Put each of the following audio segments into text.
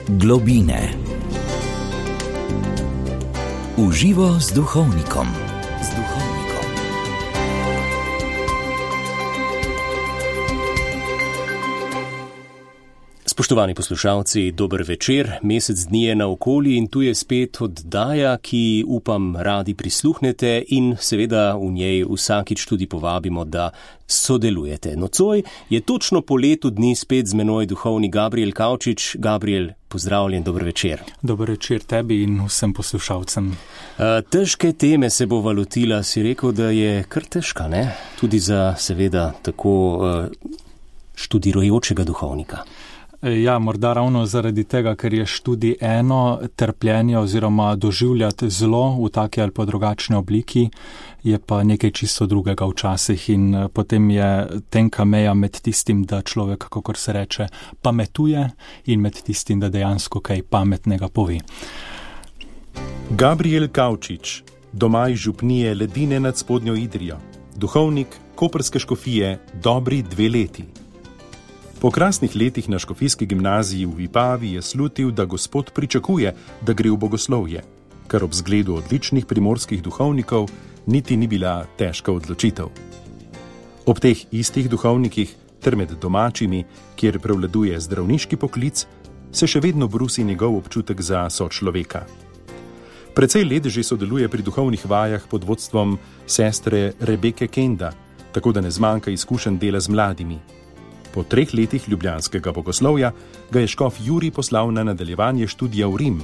Globine. V živo z duhovnikom. Spoštovani poslušalci, dober večer, mesec dni je naokoli in tu je spet oddaja, ki upam radi prisluhnete in seveda v njej vsakič tudi povabimo, da sodelujete. Nocoj je točno po letu dni spet z menoj duhovni Gabriel Kavčič. Gabriel, pozdravljen, dober večer. Dober večer tebi in vsem poslušalcem. Težke teme se bo lotila, si rekel, da je kar težka, ne? Tudi za seveda tako študirajočega duhovnika. Ja, morda ravno zaradi tega, ker je študij eno, trpljenje oziroma doživljati zlo v taki ali pa drugačni obliki, je pa nekaj čisto drugega včasih in potem je tenka meja med tistim, da človek, kakor se reče, pametuje in med tistim, da dejansko kaj pametnega pove. Gabriel Kavčič, doma iz župnije Ledine nad Spodnjo Idrijo, duhovnik koprske škofije dobri 2 leti. Po krasnih letih na škofijski gimnaziji v Vipavi je slutil, da Gospod pričakuje, da gre v bogoslovje, kar ob zgledu odličnih primorskih duhovnikov niti ni bila težka odločitev. Ob teh istih duhovnikih ter med domačimi, kjer prevladuje zdravniški poklic, se še vedno brusi njegov občutek za sočloveka. Precej let že sodeluje pri duhovnih vajah pod vodstvom sestre Rebeke Kenda, tako da ne zmanjka izkušenj dela z mladimi. Po 3 letih ljubljanskega bogoslovja ga je škof Jurij poslal na nadaljevanje študija v Rim,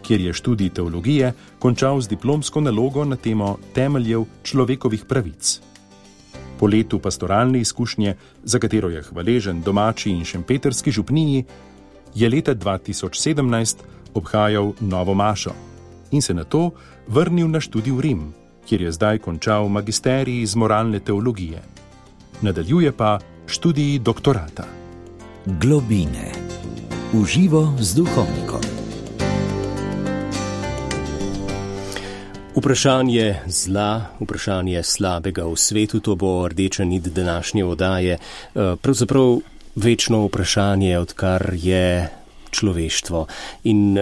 kjer je študij teologije končal z diplomsko nalogo na temo temeljev človekovih pravic. Po letu pastoralne izkušnje, za katero je hvaležen domači in šempetrski župniji, je leta 2017 obhajal novo mašo in se nato vrnil na študij v Rim, kjer je zdaj končal magisterij iz moralne teologije. Nadaljuje pa študij doktorata. Globine. V živo z duhovnikom. Vprašanje zla, vprašanje slabega v svetu, to bo rdeča nit današnje oddaje. Pravzaprav večno vprašanje, odkar je človeštvo. In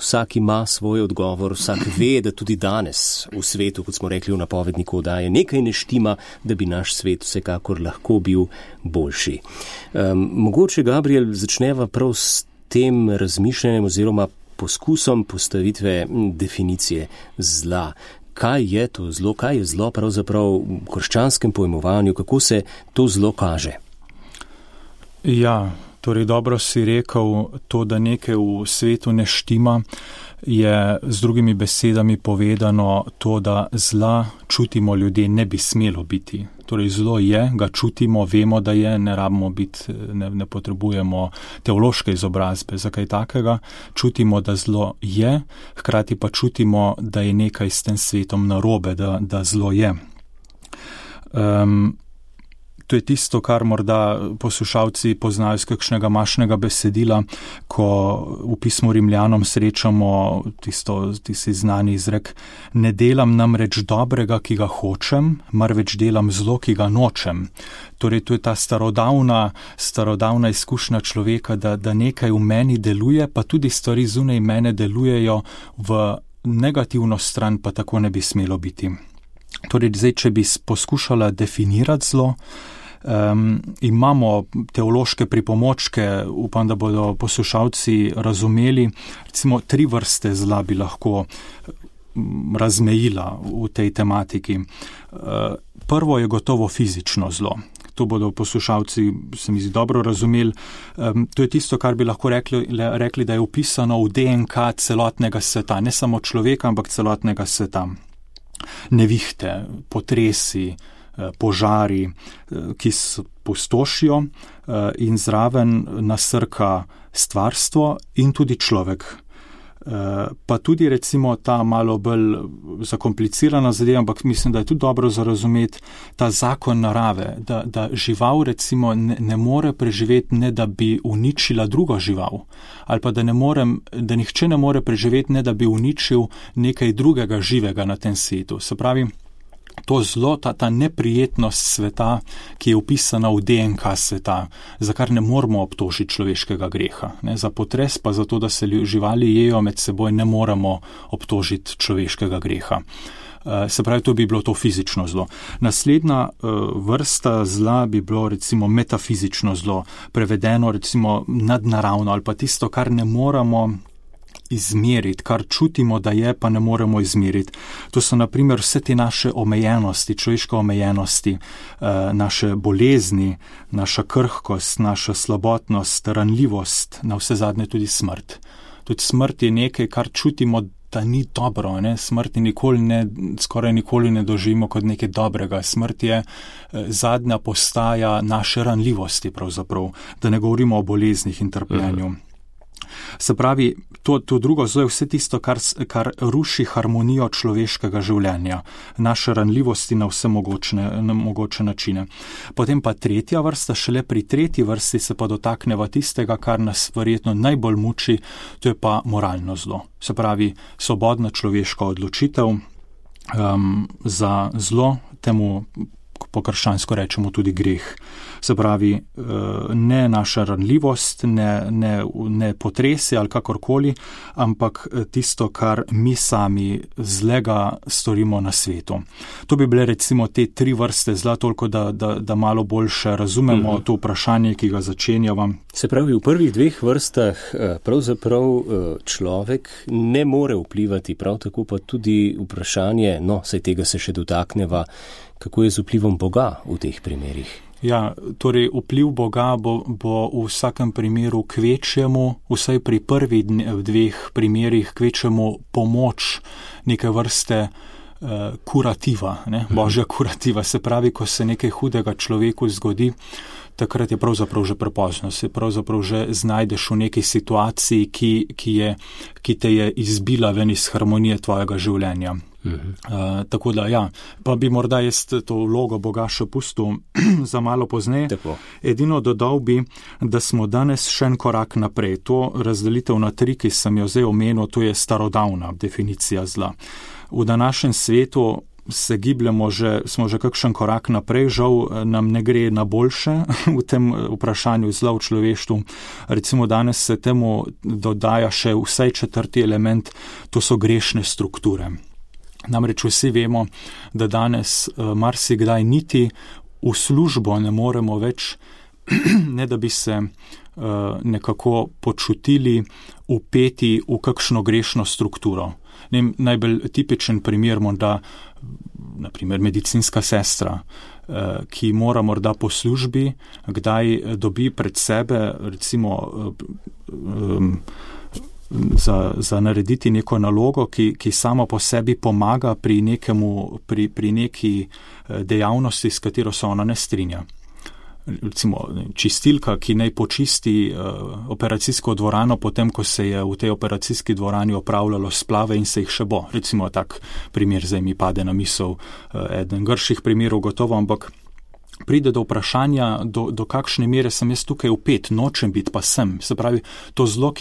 vsak ima svoj odgovor, vsak ve, da tudi danes v svetu, kot smo rekli v napovedniku oddaje, nekaj ne štima, da bi naš svet vsekakor lahko bil boljši. Mogoče, Gabriel, začneva prav s tem razmišljanjem oziroma poskusom postavitve definicije zla. Kaj je to zlo? Kaj je zlo pravzaprav v krščanskem pojmovanju? Kako se to zlo kaže? Ja, torej dobro si rekel, to, da nekaj v svetu ne štima, je z drugimi besedami povedano to, da zla čutimo ljudje, ne bi smelo biti. Torej zlo je, ga čutimo, vemo, da je, ne rabimo biti, ne potrebujemo teološke izobrazbe za kaj takega. Čutimo, da zlo je, hkrati pa čutimo, da je nekaj s tem svetom narobe, da zlo je. To je tisto, kar morda poslušalci poznajo iz kakšnega mašnega besedila, ko v pismu Rimljanom srečamo tisti znani izrek: ne delam namreč dobrega, ki ga hočem, marveč delam zlo, ki ga nočem. Torej, to je ta starodavna izkušnja človeka, da nekaj v meni deluje, pa tudi stvari zunaj mene delujejo v negativno stran, pa tako ne bi smelo biti. Torej, zdaj, če bi poskušala definirati zlo, imamo teološke pripomočke, upam, da bodo poslušalci razumeli. Recimo 3 vrste zla bi lahko razmejila v tej tematiki. Prvo je gotovo fizično zlo. To bodo poslušalci, se mi zdi, dobro razumeli. To je tisto, kar bi lahko rekli, da je upisano v DNK celotnega sveta, ne samo človeka, ampak celotnega sveta. Nevihte, potresi, požari, ki pustošijo in zraven nasrka stvarstvo in tudi človek. Pa tudi recimo ta malo bolj zakomplicirana zadeva, ampak mislim, da je tudi dobro za razumeti ta zakon narave, da žival recimo ne more preživeti, ne da bi uničila drugo žival, ali pa da nihče ne more preživeti, ne da bi uničil nekaj drugega živega na tem svetu. Se pravi, to zlo, ta neprijetnost sveta, ki je upisana v DNK sveta, za kar ne moramo obtožiti človeškega greha. Ne? Za potres pa za to, da se živali jejo med seboj, ne moramo obtožiti človeškega greha. Se pravi, to bi bilo to fizično zlo. Naslednja vrsta zla bi bilo recimo metafizično zlo, prevedeno recimo nadnaravno ali pa tisto, kar ne moramo izmeriti, kar čutimo, da je, pa ne moremo izmeriti. To so naprimer vse te naše omejenosti, človeške omejenosti, naše bolezni, naša krhkost, naša slabotnost, ranljivost, na vse zadnje tudi smrt. Tudi smrt je nekaj, kar čutimo, da ni dobro, ne? Smrti skoraj nikoli ne doživimo kot nekaj dobrega. Smrt je zadnja postaja naše ranljivosti pravzaprav, da ne govorimo o boleznih in trpljenju. Se pravi, to drugo zlo je vse tisto, kar ruši harmonijo človeškega življenja, naše ranljivosti na vse mogoče načine. Potem pa tretja vrsta, šele pri tretji vrsti se pa dotakneva tistega, kar nas verjetno najbolj muči, to je pa moralno zlo. Se pravi, svobodna človeška odločitev za zlo, temu po krščansko rečemo tudi greh. Se pravi, ne naša ranljivost, ne potresi ali kakorkoli, ampak tisto, kar mi sami zlega storimo na svetu. To bi bile recimo te tri vrste zla, toliko da malo boljše razumemo to vprašanje, ki ga začenjava. Se pravi, v prvih dveh vrstah pravzaprav človek ne more vplivati, prav tako pa tudi vprašanje, saj tega se še dotakneva, kako je z vplivom Boga v teh primerih? Ja, torej vpliv Boga bo v vsakem primeru kvečjemu, vsaj pri prvih dveh primerih kvečjemu pomoč neke vrste kurativa, ne? Božja kurativa. Se pravi, ko se nekaj hudega človeku zgodi, takrat je pravzaprav že prepozno, se pravzaprav že znajdeš v neki situaciji, ki te je izbila ven iz harmonije tvojega življenja. Tako da ja, pa bi morda jaz to vlogo Boga še pustil za malo pozneje. Edino dodal bi, da smo danes še en korak naprej. To razdelitev na tri, ki sem jo zdaj omenil, to je starodavna definicija zla. V današnjem svetu se gibljamo smo že kakšen korak naprej, žal nam ne gre na boljše v tem vprašanju zla v človeštvu. Recimo danes se temu dodaja še vsaj četrti element, to so grešne strukture. Namreč vsi vemo, da danes marsikdaj niti v službo ne moremo več, ne da bi se nekako počutili vpeti v kakšno grešno strukturo. Najbolj tipičen primer morda, naprimer medicinska sestra, ki mora morda po službi, kdaj dobi pred sebe recimo za narediti neko nalogo, ki sama po sebi pomaga pri neki dejavnosti, s katero se ona ne strinja. Recimo čistilka, ki naj počisti operacijsko dvorano, potem ko se je v tej operacijski dvorani opravljalo splave in se jih še bo. Recimo tak primer, zdaj mi pade na misel eden grših primerov gotovo, ampak pride do vprašanja, do kakšne mere sem jaz tukaj vpet, nočem biti, pa sem. Se pravi, to zlo,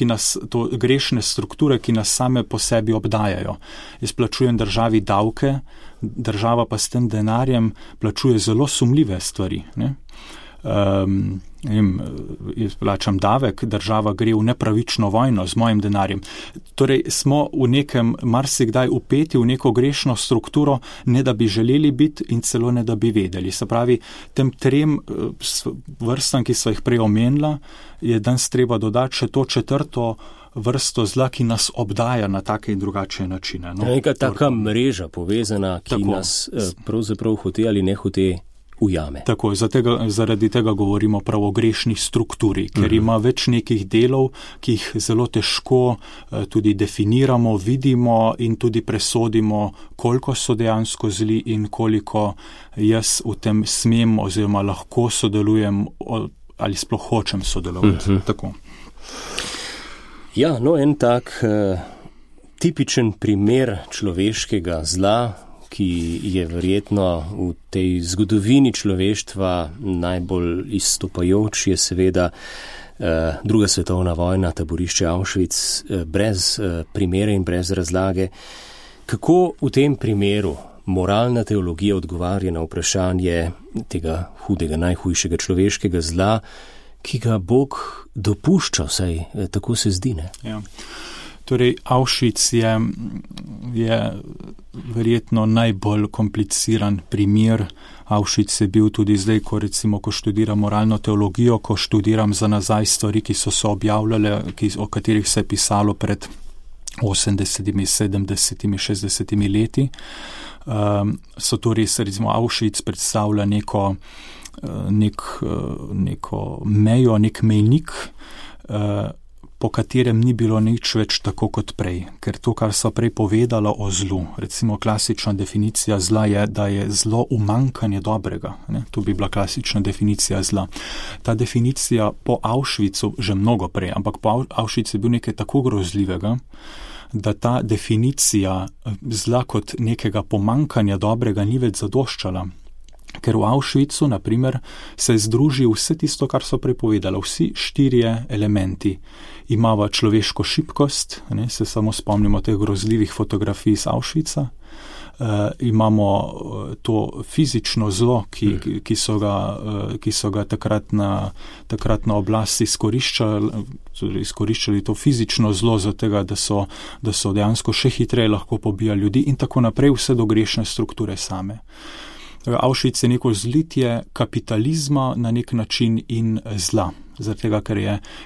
to grešne strukture, ki nas same po sebi obdajajo. Jaz plačujem državi davke, država pa s tem denarjem plačuje zelo sumljive stvari, ne? Jaz plačam davek, država gre v nepravično vojno z mojim denarjem. Torej smo v nekem marsikdaj vpeti v neko grešno strukturo, ne da bi želeli biti in celo ne da bi vedeli. Se pravi, tem trem vrstam, ki so jih prej omenila, je danes treba dodati še to četrto vrsto zla, ki nas obdaja na take in drugačne načine. Neka taka mreža povezana, ki nas pravzaprav hote ali ne hote ujame. Tako, zaradi tega govorimo prav o grešni strukturi, ker ima več nekih delov, ki jih zelo težko tudi definiramo, vidimo in tudi presodimo, koliko so dejansko zli in koliko jaz v tem smem oziroma lahko sodelujem ali sploh hočem sodelovati. Tako. Ja, en tak tipičen primer človeškega zla, ki je verjetno v tej zgodovini človeštva najbolj izstopajoč, je seveda Druga svetovna vojna, taborišče Auschwitz, brez primere in brez razlage. Kako v tem primeru moralna teologija odgovarja na vprašanje tega hudega, najhujšega človeškega zla, ki ga Bog dopušča, saj tako se zdi, ne? Ja. Torej, Auschwitz je verjetno najbolj kompliciran primer. Auschwitz je bil tudi zdaj, ko študiram moralno teologijo, ko študiram za nazaj stvari, ki so se objavljale, o katerih se je pisalo pred 80, 70, 60 leti. So to res, recimo, Auschwitz predstavlja neko mejo, nek mejnik, po katerem ni bilo nič več tako kot prej. Ker to, kar so prej povedala o zlu, recimo klasična definicija zla je, da je zlo umanjkanje dobrega. Ne? To bi bila klasična definicija zla. Ta definicija po Auschwitzu, že mnogo prej, ampak po Auschwitzu je bil nekaj tako grozljivega, da ta definicija zla kot nekega pomanjkanja dobrega ni več zadoščala. Ker v Auschwitzu, na primer, se združi vse tisto, kar so prepovedali, vsi 4 elementi. Imava človeško šibkost, ne, se samo spomnimo teh grozljivih fotografij iz Auschwitza, imamo to fizično zlo, ki so ga takrat na oblast izkoriščali to fizično zlo za tega, da so dejansko še hitreje lahko pobijali ljudi in tako naprej, vse do grešne strukture same. Auschwitz je neko zlitje kapitalizma na nek način in zla. Zaradi tega,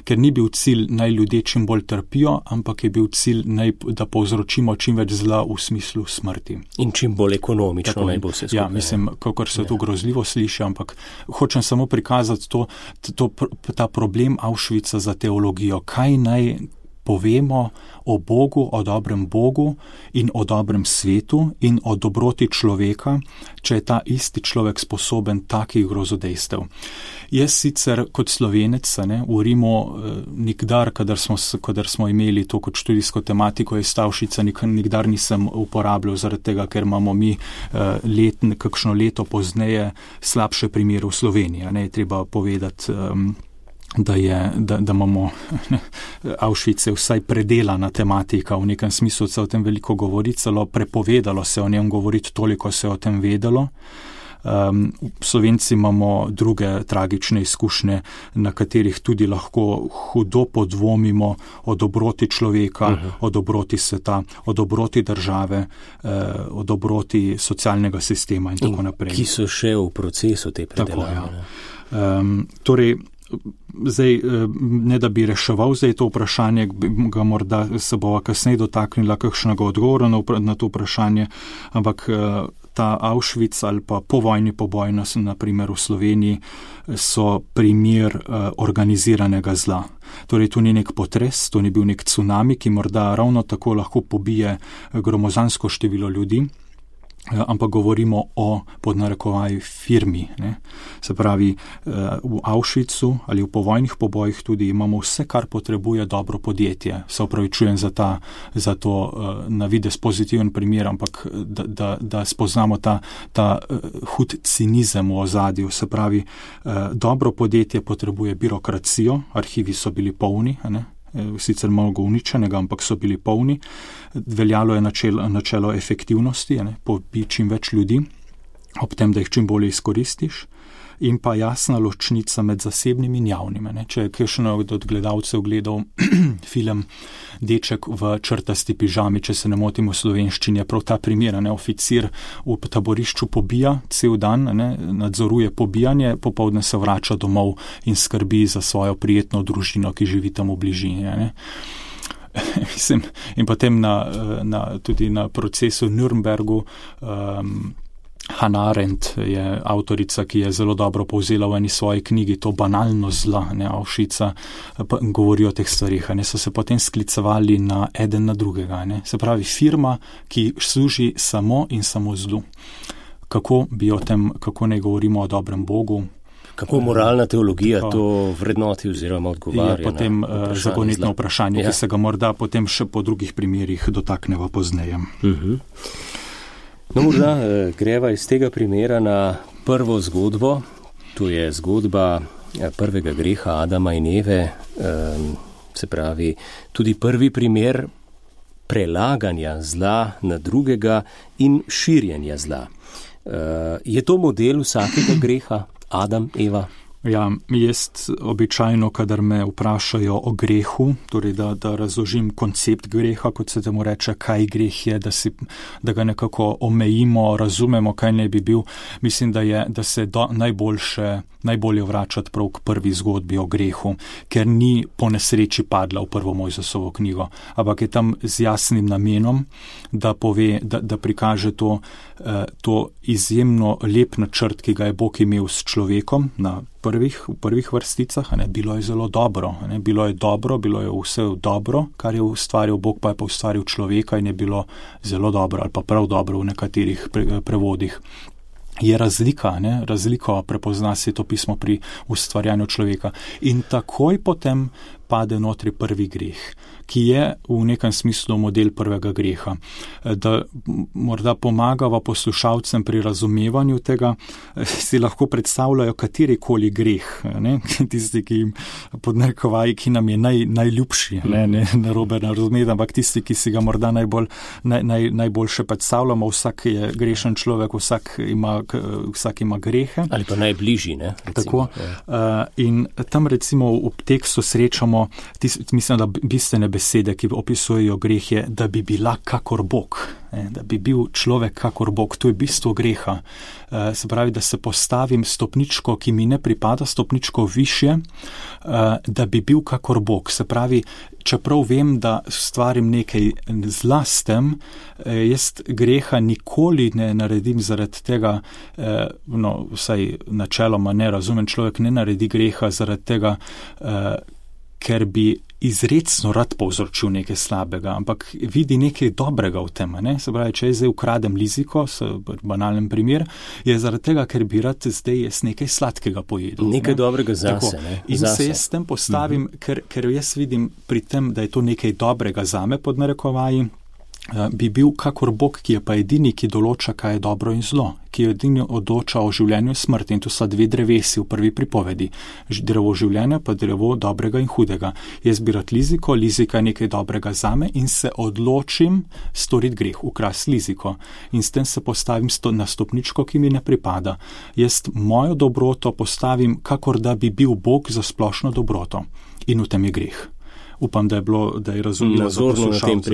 ker ni bil cilj naj ljudje čim bolj trpijo, ampak je bil cilj da povzročimo čim več zla v smislu smrti. In čim bolj ekonomično naj bo vse skupaj. Ja, mislim, kakor se to grozljivo sliši, ampak hočem samo prikazati ta problem Auschwitza za teologijo. Kaj naj povemo o Bogu, o dobrem Bogu in o dobrem svetu in o dobroti človeka, če je ta isti človek sposoben takih grozodejstev. Jaz sicer kot Slovenec v Rimu nikdar, kadar smo imeli to kot študijsko tematiko iz Auschwitza, nikdar nisem uporabljal zaradi tega, ker imamo mi kakšno leto pozneje slabše primere v Sloveniji. Je treba povedati, da imamo Auschwitz je vsaj predelana tematika, v nekem smislu se o tem veliko govori, celo prepovedalo se o njem govoriti, toliko se o tem vedelo. Slovenci imamo druge tragične izkušnje, na katerih tudi lahko hudo podvomimo o dobroti človeka, o dobroti sveta, o dobroti države, o dobroti socialnega sistema in tako naprej. Ki so še v procesu te predelave. Torej, zdaj, ne da bi reševal zdaj to vprašanje, ga morda se bova kasneje dotaknila kakšnega odgovora na to vprašanje, ampak ta Auschwitz ali pa povojni poboj, na primer v Sloveniji, so primer organiziranega zla. Torej, to ni nek potres, to ni bil nek tsunami, ki morda ravno tako lahko pobije gromozansko število ljudi, ampak govorimo o podnarekovaj firmi. Ne? Se pravi, v Auschwitzu ali v povojnih pobojih tudi imamo vse, kar potrebuje dobro podjetje. Se opravičujem za to na videz pozitiven primer, ampak da spoznamo ta hud cinizem v ozadju. Se pravi, dobro podjetje potrebuje birokracijo, arhivi so bili polni, ne? Sicer malo uničenega, ampak so bili polni. Veljalo je načelo efektivnosti, pobi čim več ljudi, ob tem, da jih čim bolje izkoristiš, in pa jasna ločnica med zasebnim in javnim. Če je kakšen od gledalcev gledal film Deček v črtasti pižami, če se ne motim v slovenščini, je prav ta primer, oficir v taborišču pobija cel dan, nadzoruje pobijanje, popoldne se vrača domov in skrbi za svojo prijetno družino, ki živi tam v bližini. Mislim, in potem tudi na procesu v Nürnbergu Hannah Arendt je avtorica, ki je zelo dobro povzela v eni svoji knjigi to banalno zla, Auschwitza, govori o teh stvarih, so se potem sklicevali na eden na drugega. Se pravi, firma, ki služi samo in samo zlu. Kako naj govorimo o dobrem Bogu? Kako moralna teologija to vrednoti oziroma odgovarja? Je potem zagonetno vprašanje, ki se ga morda potem še po drugih primerih dotakneva pozneje. No, morda greva iz tega primera na prvo zgodbo. To je zgodba prvega greha Adama in Eve. Se pravi, tudi prvi primer prelaganja zla na drugega in širjenja zla. Je to model vsakega greha, Adam, Eva? Ja, jaz običajno, kadar me vprašajo o grehu, torej da razložim koncept greha, kot se temu reče, kaj greh je, da ga nekako omejimo, razumemo, kaj ne bi bil, mislim, da se najbolje vračati prav k prvi zgodbi o grehu, ker ni po nesreči padla v prvo Mojzesovo knjigo, ampak je tam z jasnim namenom, da pove, da prikaže to izjemno lep načrt, ki ga je Bog imel s človekom v prvih vrsticah. Bilo je zelo dobro, bilo je vse dobro, kar je ustvaril Bog, pa je pa ustvaril človeka in je bilo zelo dobro ali pa prav dobro v nekaterih prevodih. Je razliko prepozna Sveto pismo pri ustvarjanju človeka. In takoj potem pade notri prvi greh, ki je v nekem smislu model prvega greha. Da morda pomagava poslušalcem pri razumevanju tega, si lahko predstavljajo katerikoli greh, tisti, ki jim podnarekovaji, ki nam je najljubši, ne narobe razumeti, ampak tisti, ki si ga morda najboljše predstavljamo, vsak je grešen človek, vsak ima grehe. Ali pa najbližji, ne? Recimo. Tako. In tam recimo v tekstu srečamo mislim, da bistvene besede, ki opisujejo greh, je, da bi bila kakor Bog. Da bi bil človek kakor Bog. To je bistvo greha. Se pravi, da se postavim stopničko, ki mi ne pripada, stopničko višje, da bi bil kakor Bog. Se pravi, čeprav vem, da stvarim nekaj zla s tem, jaz greha nikoli ne naredim zaradi tega, vsaj načeloma ne razumem, človek ne naredi greha zaradi tega, ker bi izrecno rad povzročil nekaj slabega, ampak vidi nekaj dobrega v tem. Se pravi, če jaz zdaj ukradem liziko, banalen primer, je zaradi tega, ker bi rad zdaj jaz nekaj sladkega pojedel. Nekaj dobrega zase. In se jaz s tem postavim, ker jaz vidim pri tem, da je to nekaj dobrega zame, pod narekovaji, bi bil kakor Bog, ki je pa edini, ki določa, kaj je dobro in zlo, ki je edini odloča o življenju in smrti. In to sta dve drevesi v prvi pripovedi. Drevo življenja pa drevo dobrega in hudega. Jaz bi rad lizika je nekaj dobrega zame in se odločim storiti greh, ukrasti liziko. In s tem se postavim na stopničko, ki mi ne pripada. Jaz mojo dobroto postavim, kakor da bi bil Bog za splošno dobroto. In v tem je greh. Upam, da je razumljivo za poslušalce.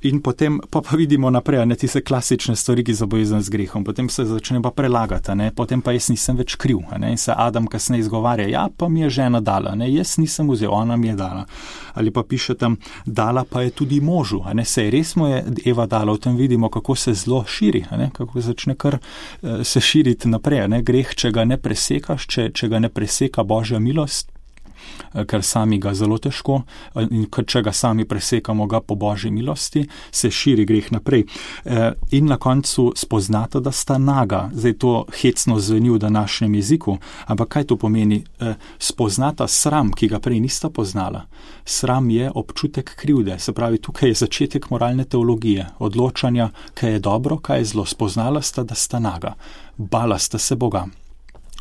In potem pa vidimo naprej, tiste klasične stvari, ki so povezane z grehom. Potem se začne pa prelagati, potem pa jaz nisem več kriv. In se Adam kasneje izgovarja, ja, pa mi je žena dala, jaz nisem vzel, ona mi je dala. Ali pa piše tam, dala pa je tudi možu. Sej res mu je Eva dala, v tem vidimo, kako se zlo širi, kako začne kar se širiti naprej. Greh, če ga ne presekaš, če ga ne preseka Božja milost, ker sami ga zelo težko, in če ga sami presekamo ga po Božji milosti, se širi greh naprej. In na koncu spoznata, da sta naga. Zdaj to hecno zveni v današnjem jeziku, ampak kaj to pomeni? Spoznata sram, ki ga prej nista poznala. Sram je občutek krivde, se pravi, tukaj je začetek moralne teologije, odločanja, kaj je dobro, kaj je zlo. Spoznala sta, da sta naga. Bala sta se Boga.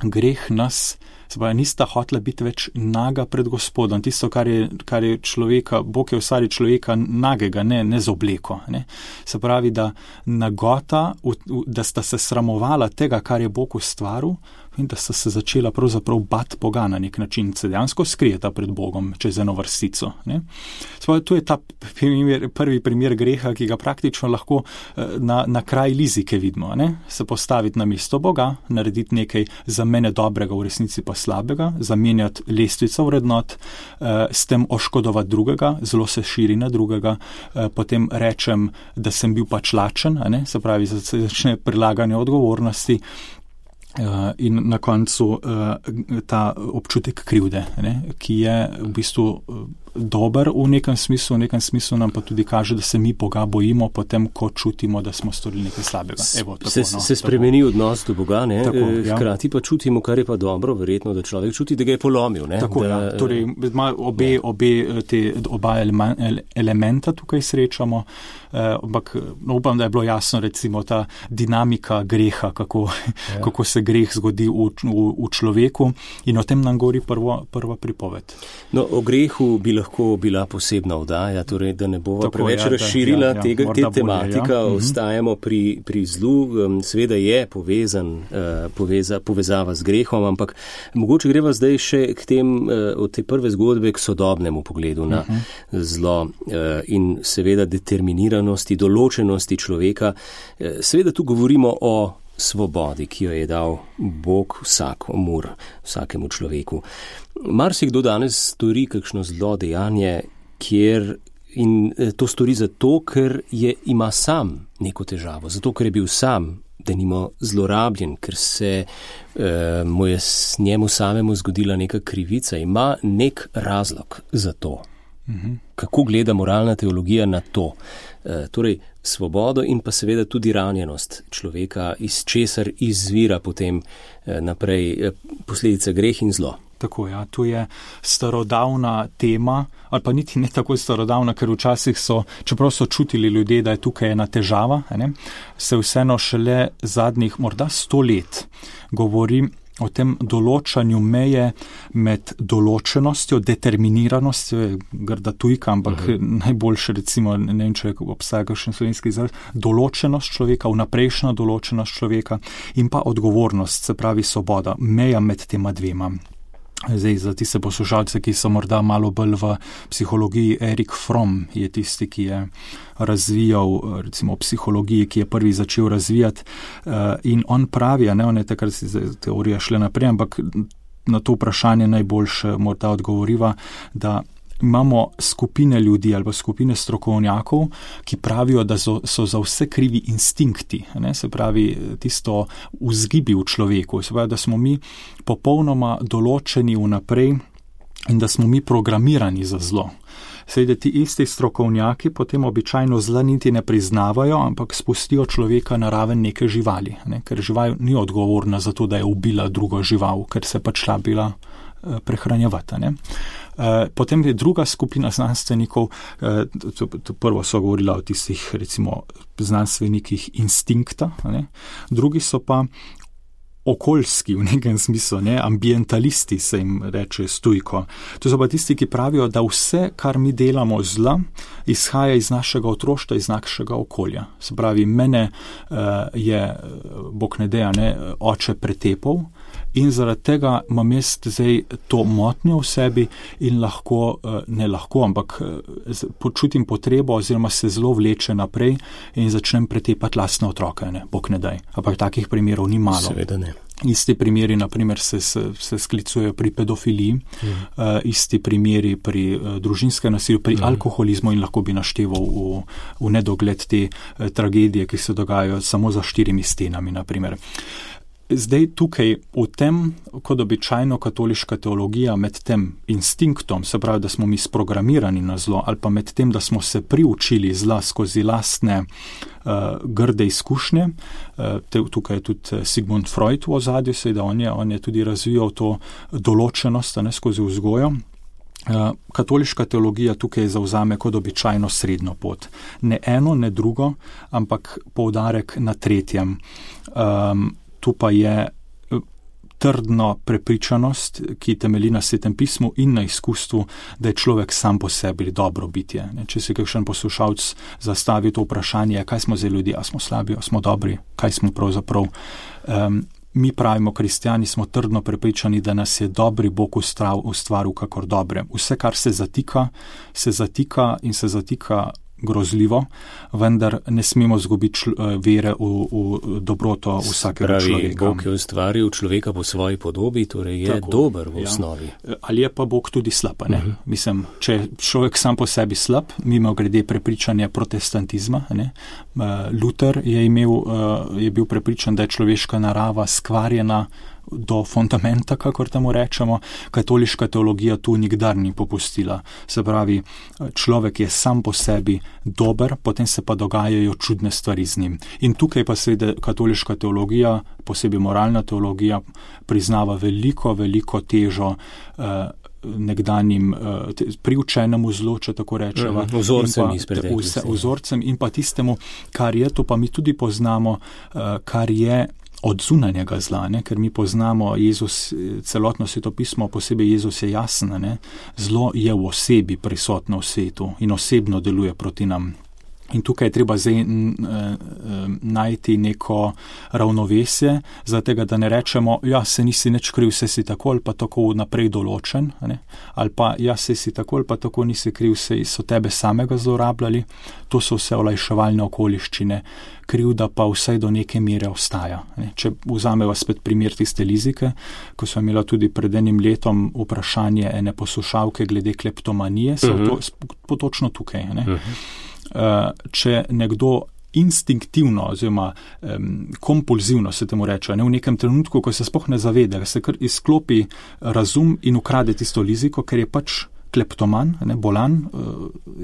Greh nas, se pravi, nista hotela biti več naga pred Gospodom. Tisto, kar je človeka, Bog je ustvaril človeka nagega, ne z obleko. Se pravi, da nagota, da sta se sramovala tega, kar je Bog ustvaril, in da sta se začela pravzaprav bati Boga na nek način, se dejansko skrijeta pred Bogom čez eno vrstico. To je ta prvi primer greha, ki ga praktično lahko na kraj lizike vidimo. Se postaviti na mesto Boga, narediti nekaj za mene dobrega, v resnici pa slabega, zamenjati lestvico vrednot, s tem oškodovati drugega, zelo se širi na drugega, potem rečem, da sem bil pač lačen, se pravi, začne prilaganje odgovornosti, in na koncu ta občutek krivde, ki je v bistvu dober v nekem smislu nam pa tudi kaže, da se mi Boga bojimo potem, ko čutimo, da smo storili nekaj slabega. Se spremeni odnos do Boga, hkrati pa čutimo, kar je pa dobro, verjetno, da človek čuti, da ga je polomil. Torej ima oba elementa tukaj srečamo, ampak upam, da je bilo jasno recimo ta dinamika greha, kako se greh zgodi v človeku, in o tem nam govori prva pripoved. No, o grehu bi lahko lahko bila posebna oddaja, torej, da ne bova preveč razširila te tematika, ostajamo pri zlu, seveda je povezava z grehom, ampak mogoče greva zdaj še k tem, od te prve zgodbe k sodobnemu pogledu na zlo in seveda determiniranosti, določenosti človeka. Seveda tu govorimo o svobodi, ki jo je dal Bog vsakemu človeku. Marsikdo danes stori kakšno zlo dejanje, in to stori zato, ker ima sam neko težavo, zato, ker je bil sam denimo zlorabljen, ker se mu je njemu samemu zgodila neka krivica, ima nek razlog za to. Kako gleda moralna teologija na to? Torej, svobodo in pa seveda tudi ranjenost človeka, iz česar izvira potem naprej posledica greh in zlo. Tako, ja, tu je starodavna tema, ali pa niti ne tako starodavna, ker včasih čeprav so čutili ljudje, da je tukaj ena težava, se vseeno šele zadnjih morda 100 let govori o tem določanju meje med določenostjo, determiniranostjo, grda tujka, ampak najboljše recimo, ne vem, če obstaja kakšen slovenski izraz, določenost človeka, vnaprejšnja določenost človeka in pa odgovornost, se pravi svoboda, meja med tema dvema. Zdaj, za tiste poslušalce, ki so morda malo bolj v psihologiji, Erik Fromm je tisti, ki je razvijal, recimo psihologiji, ki je prvi začel razvijati in on pravi, on je takrat si teorija šle naprej, ampak na to vprašanje najboljše morda odgovoriva, da imamo skupine ljudi ali pa skupine strokovnjakov, ki pravijo, da so za vse krivi instinkti, se pravi tisto vzgibi v človeku, se pravi, da smo mi popolnoma določeni vnaprej in da smo mi programirani za zlo. Seveda ti isti strokovnjaki potem običajno zla niti ne priznavajo, ampak spustijo človeka na raven neke živali, ker žival ni odgovorna za to, da je ubila drugo žival, ker se pač šla bila prehranjevati. Potem je druga skupina znanstvenikov, prvo so govorila o tistih recimo znanstvenikih instinkta, drugi so pa okoljski v nekem smislu, ambientalisti se jim reče stojko. To so pa tisti, ki pravijo, da vse, kar mi delamo zla, izhaja iz našega otroštva, iz našega okolja. Se pravi, mene je, Bog ne deja, oče pretepal in zaradi tega imam jaz zdaj to motnjo v sebi in ampak počutim potrebo oziroma se zelo vleče naprej in začnem pretepati lastne otroke, Bog ne daj. Ampak takih primerov ni malo. Seveda ne. Isti primeri, naprimer, se sklicujejo pri pedofiliji, isti primeri pri družinskem nasilju, pri alkoholizmu in lahko bi našteval v nedogled te tragedije, ki se dogajajo samo za 4 stenami, naprimer. Zdaj tukaj v tem, kot običajno katoliška teologija, med tem instinktom, se pravi, da smo mi sprogramirani na zlo, ali pa med tem, da smo se priučili zla skozi lastne grde izkušnje. Tukaj je tudi Sigmund Freud v ozadju, seveda on je tudi razvijal to določenost skozi vzgojo. Katoliška teologija tukaj zavzame kot običajno srednjo pot. Ne eno, ne drugo, ampak poudarek na tretjem. Tu pa je trdno prepričanost, ki temelji na Svetem pismu in na izkustvu, da je človek sam po sebi dobro bitje. Če si kakšen poslušalec zastavi to vprašanje, kaj smo zdaj ljudje, a smo slabi, a smo dobri, kaj smo pravzaprav. Mi pravimo, kristjani smo trdno prepričani, da nas je dobri Bog ustvaril kakor dobre. Vse, kar se zatika in se zatika grozljivo, vendar ne smemo zgubiti vere v dobroto vsakega človeka. Bog je ustvaril človeka po svoji podobi, torej je dober v osnovi. Ali je pa Bog tudi slab, ne? Mislim, če človek sam po sebi slab, mimo grede prepričanja protestantizma, Luther je bil prepričan, da je človeška narava skvarjena do fundamenta, kakor temu rečemo. Katoliška teologija tu nikdar ni popustila. Se pravi, človek je sam po sebi dober, potem se pa dogajajo čudne stvari z njim. In tukaj pa seveda katoliška teologija, posebej moralna teologija, priznava veliko težo nekdanjim priučenemu zlu, če tako rečeva. Vzorcem in pa tistemu, kar je, to pa mi tudi poznamo, kar je od zunanjega zla, ne? Ker mi poznamo Jezus, celotno svetopismo, posebej Jezus je jasen, ne? Zlo je v osebi prisotno v svetu in osebno deluje proti nam. In tukaj je treba zdaj najti neko ravnovesje, zato da ne rečemo, ja, se nisi nič kriv, se si tako ali pa tako naprej določen, ne? Ali pa, ja, se si tako ali pa tako nisi kriv, se so tebe samega zlorabljali. To so vse olajševalne okoliščine, krivda pa vsaj do neke mere ostaja. Ne? Če vzameva spet primer tiste Lizike, ko smo imela tudi pred enim letom vprašanje ene poslušalke glede kleptomanije, so točno tukaj, ne? Če nekdo instinktivno oziroma kompulzivno se temu reče, ne, v nekem trenutku, ko se sploh ne zaveda, se kar izklopi razum in ukrade tisto Liziko, ker je pač kleptoman, ne, bolan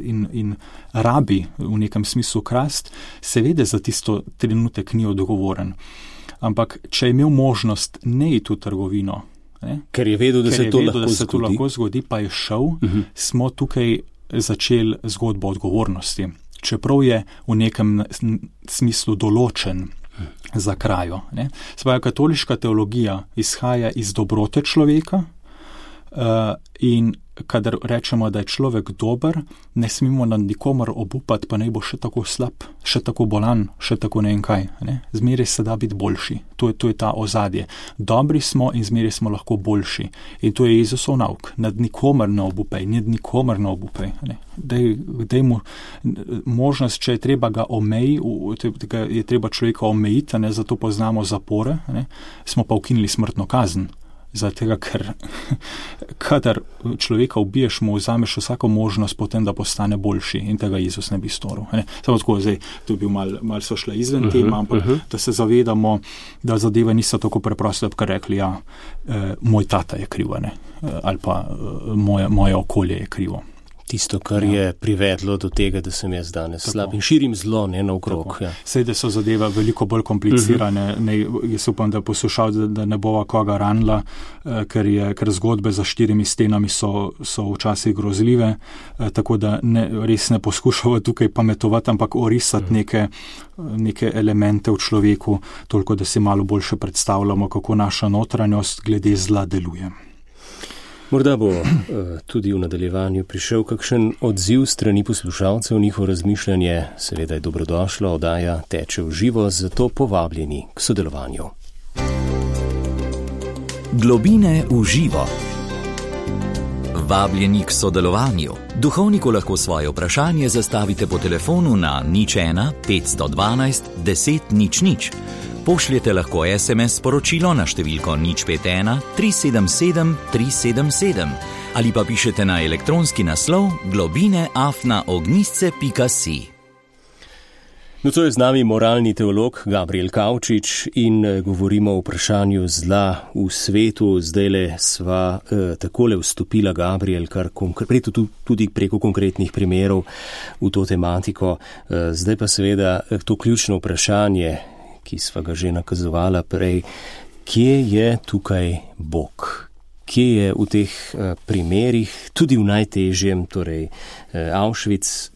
in rabi v nekem smislu krast, seveda za tisto trenutek ni odgovoren. Ampak če je imel možnost ne iti v trgovino, ne, ker je vedel, da se to lahko zgodi, pa je šel, smo tukaj začeli zgodbo odgovornosti. Čeprav je v nekem smislu določen za krajo. Svoja katoliška teologija izhaja iz dobrote človeka in kadar rečemo, da je človek dober, ne smemo nad nikomor obupati, pa naj bo še tako slab, še tako bolan, še tako ne vem kaj. Ne? Zmeraj se da biti boljši. To je ta ozadje. Dobri smo in zmeraj smo lahko boljši. In to je Jezusov nauk. Nad nikomor ne obupaj, nikomor ne obupaj. Ne? Daj mu možnost, če je treba ga je treba človeka omejiti, ne? Zato poznamo zapore, ne? Smo pa ukinili smrtno kazen. Zato, ker kadar človeka ubiješ, mu vzameš vsako možnost potem, da postane boljši in tega Jezus ne bi storil. Samo tako, zdaj, to bi mal so šle izven tema, ampak da se zavedamo, da zadeve niso tako preproste, da bi rekli, ja, moj tata je kriv, ne? Ali pa moje okolje je krivo. Tisto, kar je privedlo do tega, da sem jaz danes slab in širim zlo, ne naokrog. Ja. Sej, da so zadeve veliko bolj komplicirane. Jaz upam, da poslušal, da ne bova koga ranila, ker zgodbe za 4 stenami so včasih grozljive, tako da res ne poskušava tukaj pametovati, ampak orisati neke elemente v človeku, toliko, da si malo boljše predstavljamo, kako naša notranjost glede zla deluje. Morda bo tudi v nadaljevanju prišel kakšen odziv strani poslušalcev, njihovo razmišljanje, seveda je dobrodošlo, oddaja teče v živo, zato povabljeni k sodelovanju. Globine v živo. Vabljeni k sodelovanju. Duhovniku lahko svoje vprašanje zastavite po telefonu na 01 512 10 00. Pošljete lahko SMS sporočilo na številko 051 377 377 ali pa pišete na elektronski naslov globine@ognisce.si. No, to je z nami moralni teolog Gabriel Kavčič in govorimo o vprašanju zla v svetu. Zdajle sva takole vstopila, Gabriel, kar tudi preko konkretnih primerov v to tematiko. Zdaj pa seveda to ključno vprašanje, ki sva ga že nakazovala prej, kje je tukaj Bog? Kje je v teh primerih, tudi v najtežjem, torej Auschwitz,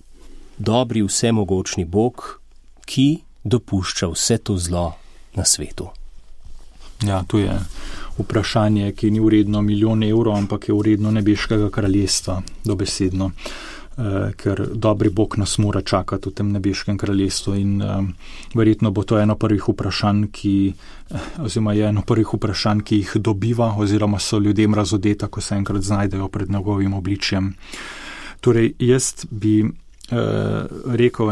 dobri vsemogočni Bog, ki dopušča vse to zlo na svetu? Ja, to je vprašanje, ki ni vredno milijon evrov, ampak je vredno nebeškega kraljestva, dobesedno. Ker dobri Bog nas mora čakati v tem nebeškem kraljestvu in verjetno bo to eno prvih vprašanj, ki jih dobiva oziroma so ljudem razodeta, ko se enkrat znajdejo pred njegovim obličjem. Torej, jaz bi rekel,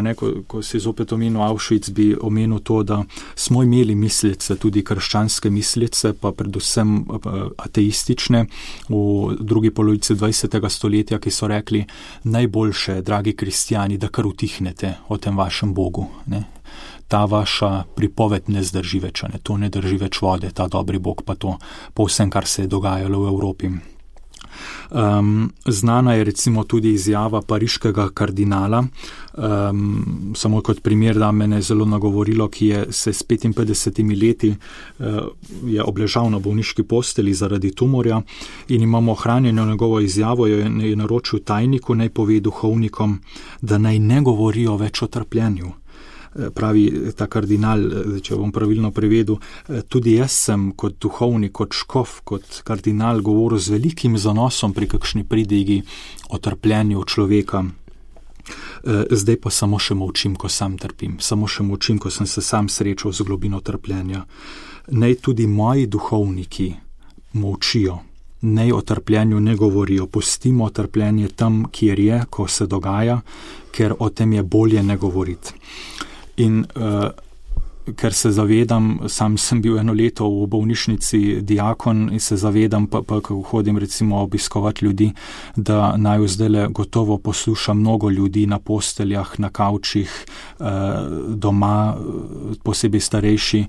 ko si zopet omenil Auschwitz, bi omenil to, da smo imeli mislice, tudi krščanske mislice, pa predvsem ateistične v drugi polovici 20. stoletja, ki so rekli, najboljše, dragi kristjani, da kar utihnete o tem vašem Bogu. Ne? Ta vaša pripoved ne zdrži več, ne? To ne drži več vode, ta dobri Bog, pa to po vsem, kar se je dogajalo v Evropi. Znana je recimo tudi izjava pariškega kardinala, samo kot primer, da me je zelo nagovorilo, ki je se s 55 leti je obležal na bolniški posteli zaradi tumorja in imamo ohranjeno njegovo izjavo, jo je naročil tajniku, naj pove duhovnikom, da naj ne govorijo več o trpljenju. pravi ta kardinal, če bom pravilno prevedel, tudi jaz sem kot duhovnik, kot škof, kot kardinal govoril z velikim zanosom pri kakšni pridigi o trpljenju človeka. Zdaj pa samo še molčim, ko sam trpim, samo še molčim, ko sem se sam srečal z globino trpljenja. Naj tudi moji duhovniki molčijo, naj o trpljenju ne govorijo, pustimo trpljenje tam, kjer je, ko se dogaja, ker o tem je bolje ne govoriti. In ker se zavedam, sam sem bil eno leto v bolnišnici diakon in se zavedam, pa ko hodim recimo obiskovati ljudi, da naj zdajle gotovo posluša mnogo ljudi na posteljah, na kavčih, doma, posebej starejši,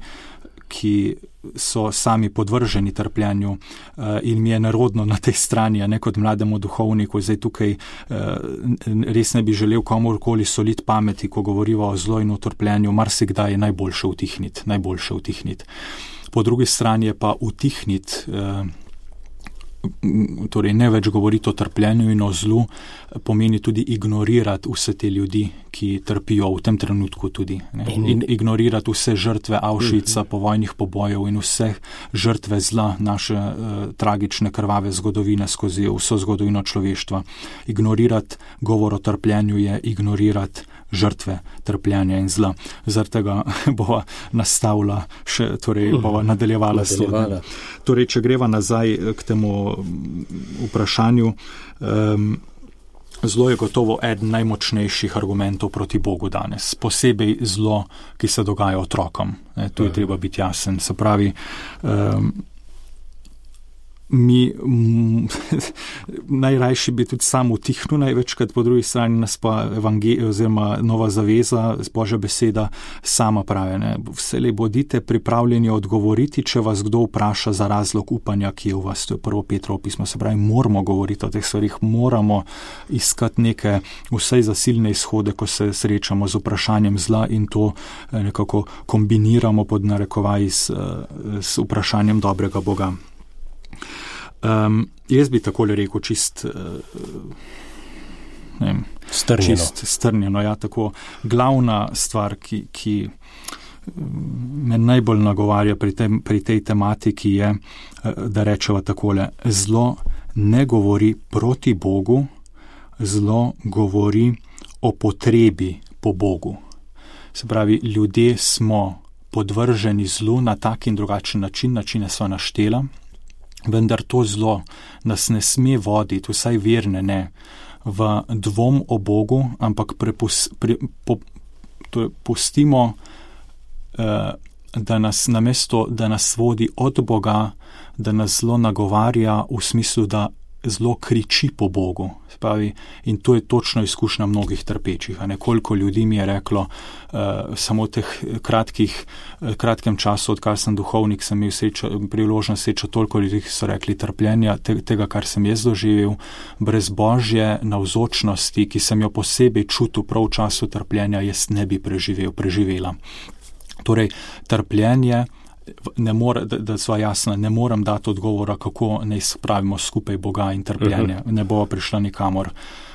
ki so sami podvrženi trpljenju, in mi je nerodno na tej strani, ne kot mlademu duhovniku. Zdaj tukaj res ne bi želel komorkoli soliti pameti, ko govoriva o zlo in o trpljenju, marsikdaj je najboljše utihniti. Po drugi strani je pa utihniti, torej ne več govoriti o trpljenju in o zlu, pomeni tudi ignorirati vse te ljudi, ki trpijo v tem trenutku tudi. In ignorirati vse žrtve Auschwitza, povojnih pobojev in vse žrtve zla naše tragične krvave zgodovine skozi vso zgodovino človeštva. Ignorirati govor o trpljenju je ignorirati žrtve trpljenja in zla. Zaradi tega bova nastavila še, torej bova nadaljevala. Torej, če greva nazaj k temu vprašanju, zlo je gotovo eden najmočnejših argumentov proti Bogu danes. Posebej zlo, ki se dogaja otrokom. Tu je treba biti jasen. Se pravi, mi najrajši bi tudi sam utihnil največkrat, po drugi strani nas pa oziroma Nova zaveza, Božja beseda sama pravi. Vselej bodite pripravljeni odgovoriti, če vas kdo vpraša za razlog upanja, ki je v vas. To je 1. Petrovo pismo. Se pravi, moramo govoriti o teh stvarih, moramo iskati neke vsaj zasilne izhode, ko se srečamo z vprašanjem zla in to nekako kombiniramo pod narekovaj s vprašanjem dobrega Boga. Jaz bi takole rekel strnjeno, ja, tako glavna stvar, ki me najbolj nagovarja pri tej tematiki je, da rečeva takole: zlo ne govori proti Bogu, zlo govori o potrebi po Bogu. Se pravi, ljudje smo podvrženi zlu na tak in drugačen način, načine sva naštela, vendar to zlo nas ne sme voditi, vsaj verne ne, v dvom o Bogu, ampak pustimo, da nas namesto, da nas vodi od Boga, da nas zlo nagovarja v smislu, da zlo kriči po Bogu. Spravi, in to je točno izkušnja mnogih trpečih. Koliko ljudi mi je reklo, samo v teh kratkem času, odkar sem duhovnik, sem imel priložnost srečati toliko ljudi, ki so rekli trpljenja, tega, kar sem jaz doživel, brez Božje navzočnosti, ki sem jo posebej čutil prav v času trpljenja, jaz ne bi preživela. Torej, trpljenje, ne more, da sva jasna, ne morem dati odgovora, kako naj spravimo skupaj Boga in trpljenje. Ne bova prišla nikamor.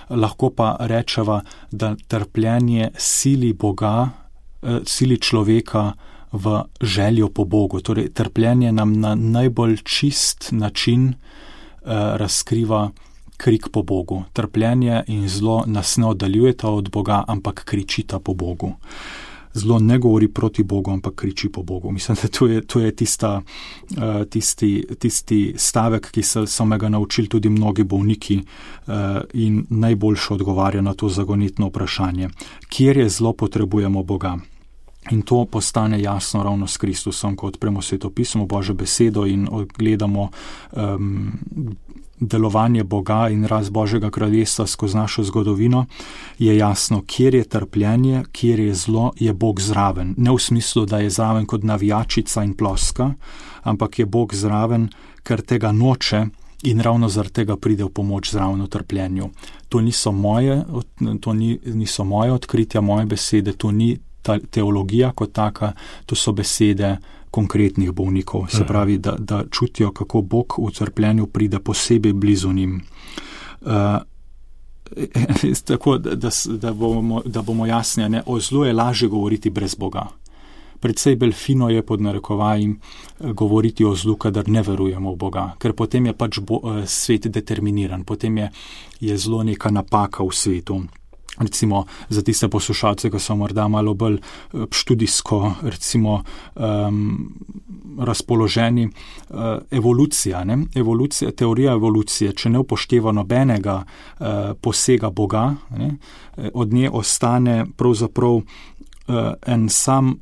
Lahko pa rečeva, da trpljenje sili Boga, sili človeka v željo po Bogu. Torej, trpljenje nam na najbolj čist način razkriva krik po Bogu. Trpljenje in zlo nas ne oddaljujeta od Boga, ampak kričita po Bogu. Zlo ne govori proti Bogu, ampak kriči po Bogu. Mislim, da to je tisti stavek, ki so me ga naučili tudi mnogi bolniki in najboljše odgovarja na to zagonetno vprašanje. Kjer je zlo, potrebujemo Boga. In to postane jasno ravno s Kristusom, ko odpremo Sveto pismo, Božjo besedo in gledamo delovanje Boga in rast Božjega kraljestva skozi našo zgodovino, je jasno, kjer je trpljenje, kjer je zlo, je Bog zraven. Ne v smislu, da je zraven kot navijačica in ploska, ampak je Bog zraven, ker tega noče in ravno zaradi tega pride v pomoč zraven v trpljenju. To niso moje odkritja, moje besede, to ni teologija kot taka, to so besede konkretnih bolnikov. Se pravi, da čutijo, kako Bog v trpljenju pride posebej blizu njim. tako, da bomo jasni, ne, o zlu je lažje govoriti brez Boga. Predvsej bolj fino je pod narekovajem govoriti o zlu, kadar ne verujemo v Boga, ker potem je pač svet determiniran, potem je zlo neka napaka v svetu. Recimo za tiste poslušalce, ki so morda malo bolj študijsko, recimo razpoloženi, evolucija, ne? Teorija evolucije, če ne upošteva nobenega posega Boga, ne? Od nje ostane pravzaprav en sam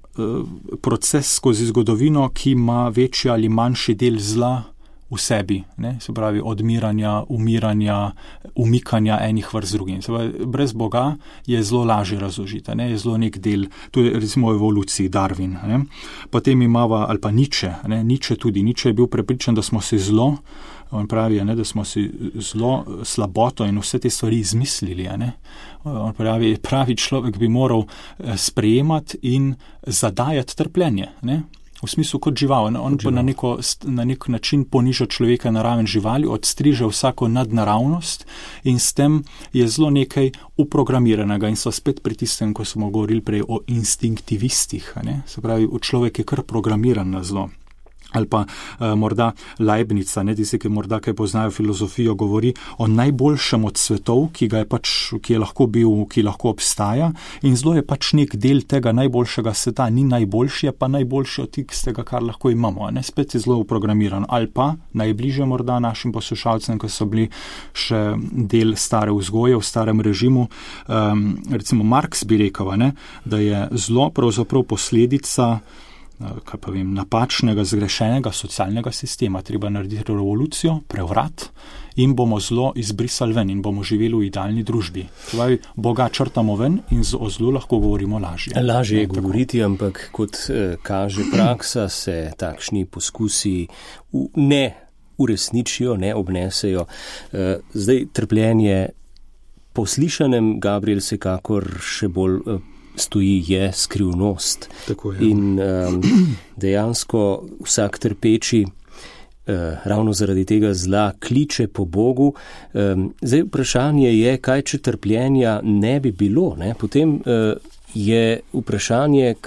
proces skozi zgodovino, ki ima večji ali manjši del zla v sebi, ne? Se pravi odmiranja, umiranja, umikanja enih vrst drugim. Se pravi, brez Boga je zelo lažje razložiti, ne? Je zelo nek del, to je recimo v evoluciji Darwin. Ne? Potem imava, ali pa Nietzsche, ne? Nietzsche je bil prepričan, da smo si zlo, on pravi, ne, da smo si zlo, slaboto in vse te stvari izmislili. Ne? On pravi človek bi moral sprejemati in zadajati trpljenje, ne? V smislu kot žival. On pa na nek način poniža človeka na raven živali, odstriže vsako nadnaravnost in s tem je zelo nekaj uprogramiranega in so spet pri tistem, ko smo govorili prej o instinktivistih. Ne? Se pravi, človek je kar programiran na zlo. Ali pa morda Leibnica, ne, tisti, ki morda kaj poznajo filozofijo, govori o najboljšem od svetov, ki je lahko bil, ki lahko obstaja, in zlo je pač nek del tega najboljšega sveta, ni najboljši, je pa najboljši od tistega, kar lahko imamo. Ne, spet je zlo uprogramiran. Ali pa najbližje morda našim poslušalcem, ki so bili še del stare vzgoje, v starem režimu, recimo Marx bi rekel, ne, da je zlo pravzaprav posledica napačnega, zgrešenega socialnega sistema. Treba narediti revolucijo, prevrat in bomo zlo izbrisali ven in bomo živeli v idealni družbi. Torej, Boga črtamo ven in o zlu lahko govorimo lažje. Lažje je govoriti, ampak kot kaže praksa, se takšni poskusi ne uresničijo, ne obnesejo. Zdaj trpljenje po slišanem, Gabriel, vsekakor še bolj stoji, je skrivnost. Tako je. In dejansko vsak trpeči ravno zaradi tega zla kliče po Bogu. Zdaj vprašanje je, kaj če trpljenja ne bi bilo, ne? Potem je vprašanje,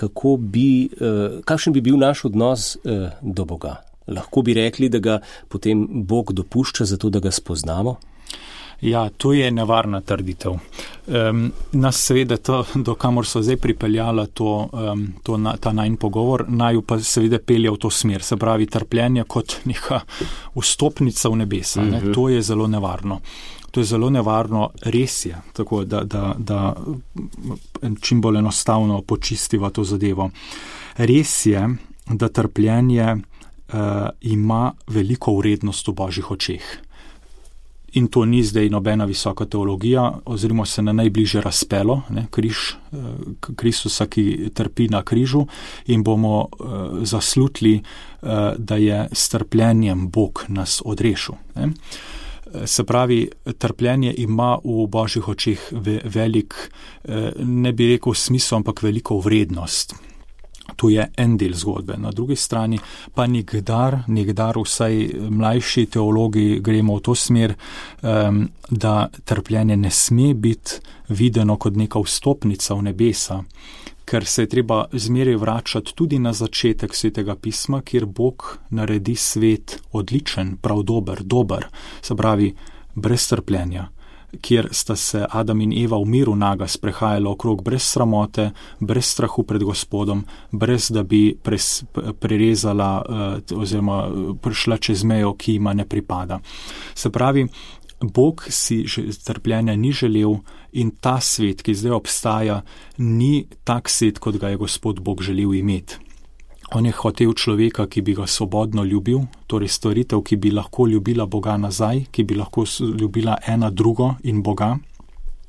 kakšen bi bil naš odnos do Boga. Lahko bi rekli, da ga potem Bog dopušča zato, da ga spoznamo? Ja, to je nevarna trditev. Nas seveda to, do kamor so zdaj pripeljala ta najn pogovor, naju pa seveda pelje v to smer, se pravi trpljenje kot neka vstopnica v nebesa. Ne? To je zelo nevarno. To je zelo nevarno, res je, tako da čim bolj enostavno počistiva to zadevo. Res je, da trpljenje ima veliko vrednost v Božjih očeh. In to ni zdaj nobena visoka teologija, oziroma se na najbližje razpelo, ne, križ Kristusa, ki trpi na križu, in bomo zaslutili, da je s trpljenjem Bog nas odrešil. Ne. Se pravi, trpljenje ima v Božjih očeh velik, ne bi rekel smisel, ampak veliko vrednost. To je en del zgodbe. Na drugi strani pa nikdar vsaj mlajši teologi gremo v to smer, da trpljenje ne sme biti videno kot neka vstopnica v nebesa, ker se je treba zmeraj vračati tudi na začetek Svetega pisma, kjer Bog naredi svet odličen, prav dober, se pravi brez trpljenja, kjer sta se Adam in Eva v miru naga sprehajala okrog brez sramote, brez strahu pred Gospodom, brez da bi prerezala oziroma prišla čez mejo, ki ima ne pripada. Se pravi, Bog si trpljenja ni želel in ta svet, ki zdaj obstaja, ni tak svet, kot ga je Gospod Bog želel imeti. On je hotel človeka, ki bi ga svobodno ljubil, torej stvaritev, ki bi lahko ljubila Boga nazaj, ki bi lahko ljubila ena drugo in Boga.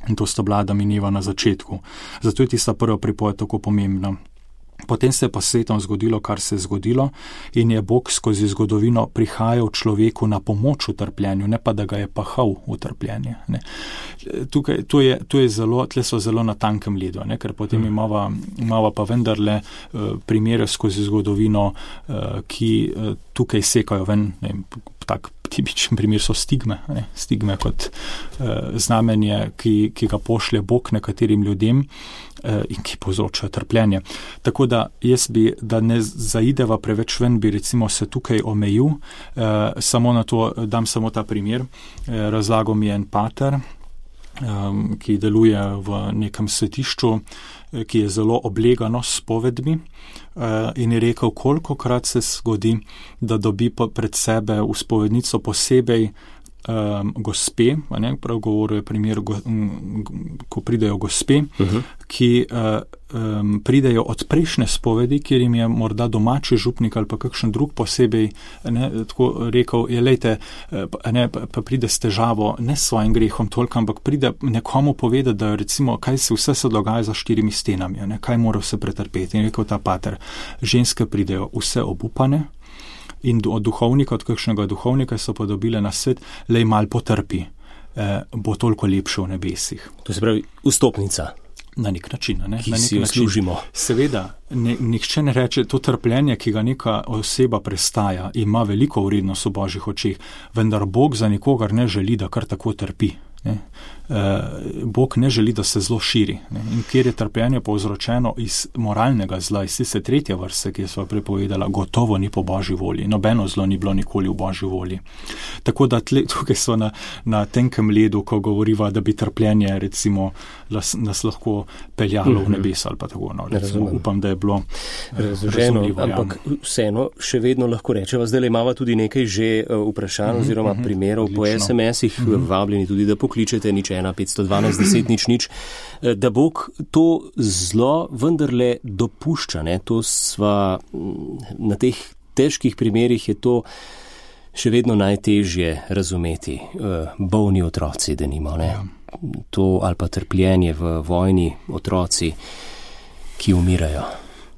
In to sta bila Adam in Eva na začetku. Zato je tista prva pripoved tako pomembna. Potem se je pa svetom zgodilo, kar se je zgodilo, in je Bog skozi zgodovino prihajal človeku na pomoč v trpljenju, ne pa da ga je pahal v trpljenje. Ne. Tle so zelo na tankem ledu, ne, ker potem imava pa vendarle primere skozi zgodovino, ki tukaj sekajo ven. Ne, tak tipičen primer so stigme. Ne? Stigme kot znamenje, ki ga pošlje Bog nekaterim ljudem in ki povzroča trpljenje. Tako da jaz bi, da ne zaideva preveč ven, bi recimo se tukaj omejil, samo na to dam samo ta primer. Razlagal mi je en pater, ki deluje v nekem svetišču, ki je zelo oblegano s povedmi, in je rekel, kolikokrat se zgodi, da dobi pred sebe v spovednico posebej gospe, ne, prav govoril je primer, ko pridejo gospe, ki pridejo od prejšnje spovedi, kjer jim je morda domači župnik ali pa kakšen drug posebej, ne, tako rekel, lejte, ne, pa pride s težavo, ne s svojim grehom toliko, ampak pride nekomu povedati, da recimo, kaj vse se dogaja za 4 stenami, ne, kaj mora vse pretrpeti. In rekel ta pater, ženske pridejo vse obupane, in od duhovnika, od kakšnega duhovnika so pa dobile na svet, lej mal potrpi, bo toliko lepše v nebesih. To se pravi vstopnica. Na nek način, ne? Ki si jo služimo. Seveda, nihče ne reče, to trpljenje, ki ga neka oseba prestaja, ima veliko vrednost v Božjih očeh, vendar Bog za nikogar ne želi, da kar tako trpi. Ne? Bog ne želi, da se zlo širi. Ne? In kjer je trpljenje povzročeno iz moralnega zla, iz tiste tretje vrste, ki je sva prepovedala, gotovo ni po Božji volji. Nobeno zlo ni bilo nikoli v Božji volji. Tako da tukaj so na tenkem ledu, ko govoriva, da bi trpljenje recimo nas lahko peljalo v nebesa ali pa tako. No, recimo, upam, da je bilo razumljivo. Ampak vseeno še vedno lahko rečeva, zdaj imava tudi nekaj že vprašanj oziroma primerov po SMS-ih, vabljeni tudi, da pokličete 512 10 da Bog to zlo vendarle dopušča. Ne? To sva na teh težkih primerih je to še vedno najtežje razumeti. Bolni otroci, denimo, ne? To ali pa trpljenje v vojni, otroci, ki umirajo.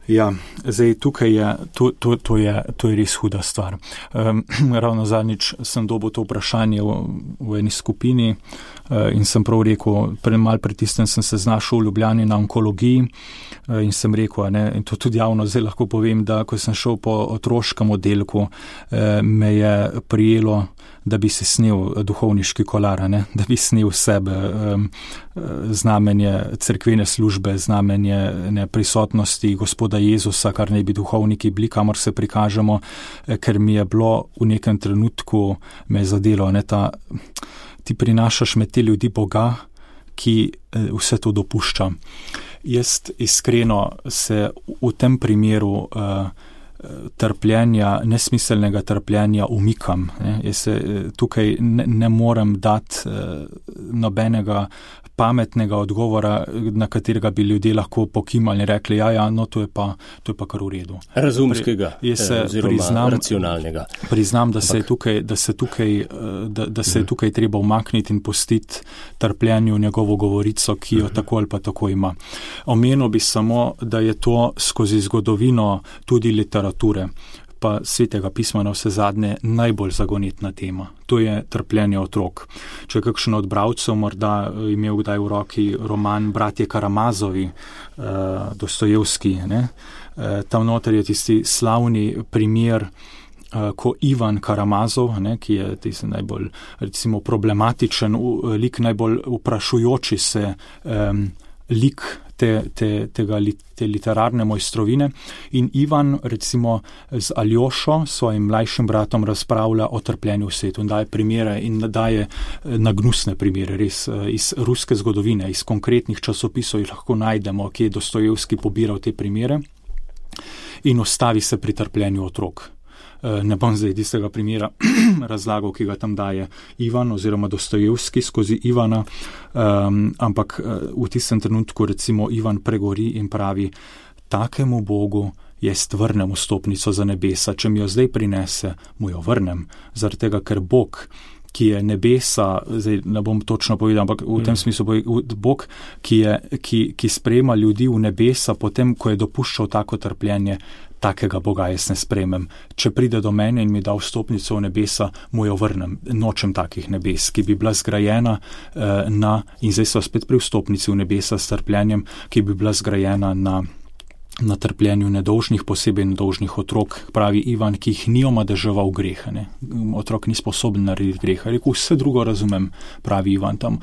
Ja, zdaj tukaj je, to je res huda stvar. Ravno zadnjič sem dobil to vprašanje v eni skupini in sem prav rekel, malo pritisnem sem se znašel v Ljubljani na onkologiji in sem rekel, ne, in to tudi javno zdaj lahko povem, da ko sem šel po otroškem oddelku, me je prijelo, da bi se snel duhovniški kolar, ne? Da bi snel sebe znamenje cerkvene službe, znamenje prisotnosti Gospoda Jezusa, kar naj bi duhovniki bili, kamor se prikažemo, ker mi je bilo v nekem trenutku me zadelo, ne, ti prinašaš med te ljudi Boga, ki vse to dopušča. Jaz iskreno se v tem primeru trpljenja, nesmiselnega trpljenja umikam. Ne. Jaz se tukaj ne morem dati nobenega pametnega odgovora, na katerega bi ljudje lahko pokimali in rekli, no to je pa kar v redu. Razumskega, oziroma racionalnega. Priznam, da se je tukaj treba umakniti in pustiti trpljenju njegovo govorico, ki jo tako ali pa tako ima. Omenil bi samo, da je to skozi zgodovino tudi literature, pa Svetega pisma na vse zadnje najbolj zagonetna tema. To je trpljenje otrok. Če kakšen od bralcev morda imel kdaj v roki roman Bratje Karamazovi, Dostojevski, ne? Tam noter je tisti slavni primer, ko Ivan Karamazov, ne, ki je tisti najbolj recimo problematičen lik, najbolj vprašujoči se lik te literarne mojstrovine, in Ivan recimo z Aljošo, svojim mlajšim bratom, razpravlja o trpljenju v svetu in daje primere in daje nagnusne primere, res iz ruske zgodovine, iz konkretnih časopisov jih lahko najdemo, ki je Dostojevski pobiral te primere in ostavi se pri trpljenju otrok. Ne bom zdaj tistega primera razlagal, ki ga tam daje Ivan oziroma Dostojevski skozi Ivana, ampak v tistem trenutku recimo Ivan pregori in pravi, takemu Bogu jaz vrnem vstopnico za nebesa, če mi jo zdaj prinese, mu jo vrnem, zaradi tega, ker Bog, ki je nebesa, zdaj ne bom točno povedal, ampak v tem smislu Bog, ki sprejema ljudi v nebesa, potem, ko je dopuščal tako trpljenje, takega Boga jaz ne sprejmem. Če pride do mene in mi da vstopnico v nebesa, mu jo vrnem. Nočem takih nebes, ki bi bila zgrajena in zdaj so spet pri vstopnici v nebesa s trpljenjem, ki bi bila zgrajena na na trpljenju nedolžnih, posebej nedolžnih otrok, pravi Ivan, ki jih ni omadeževal greha. Ne. Otrok ni sposoben narediti greha. Rekel, vse drugo razumem, pravi Ivan tam.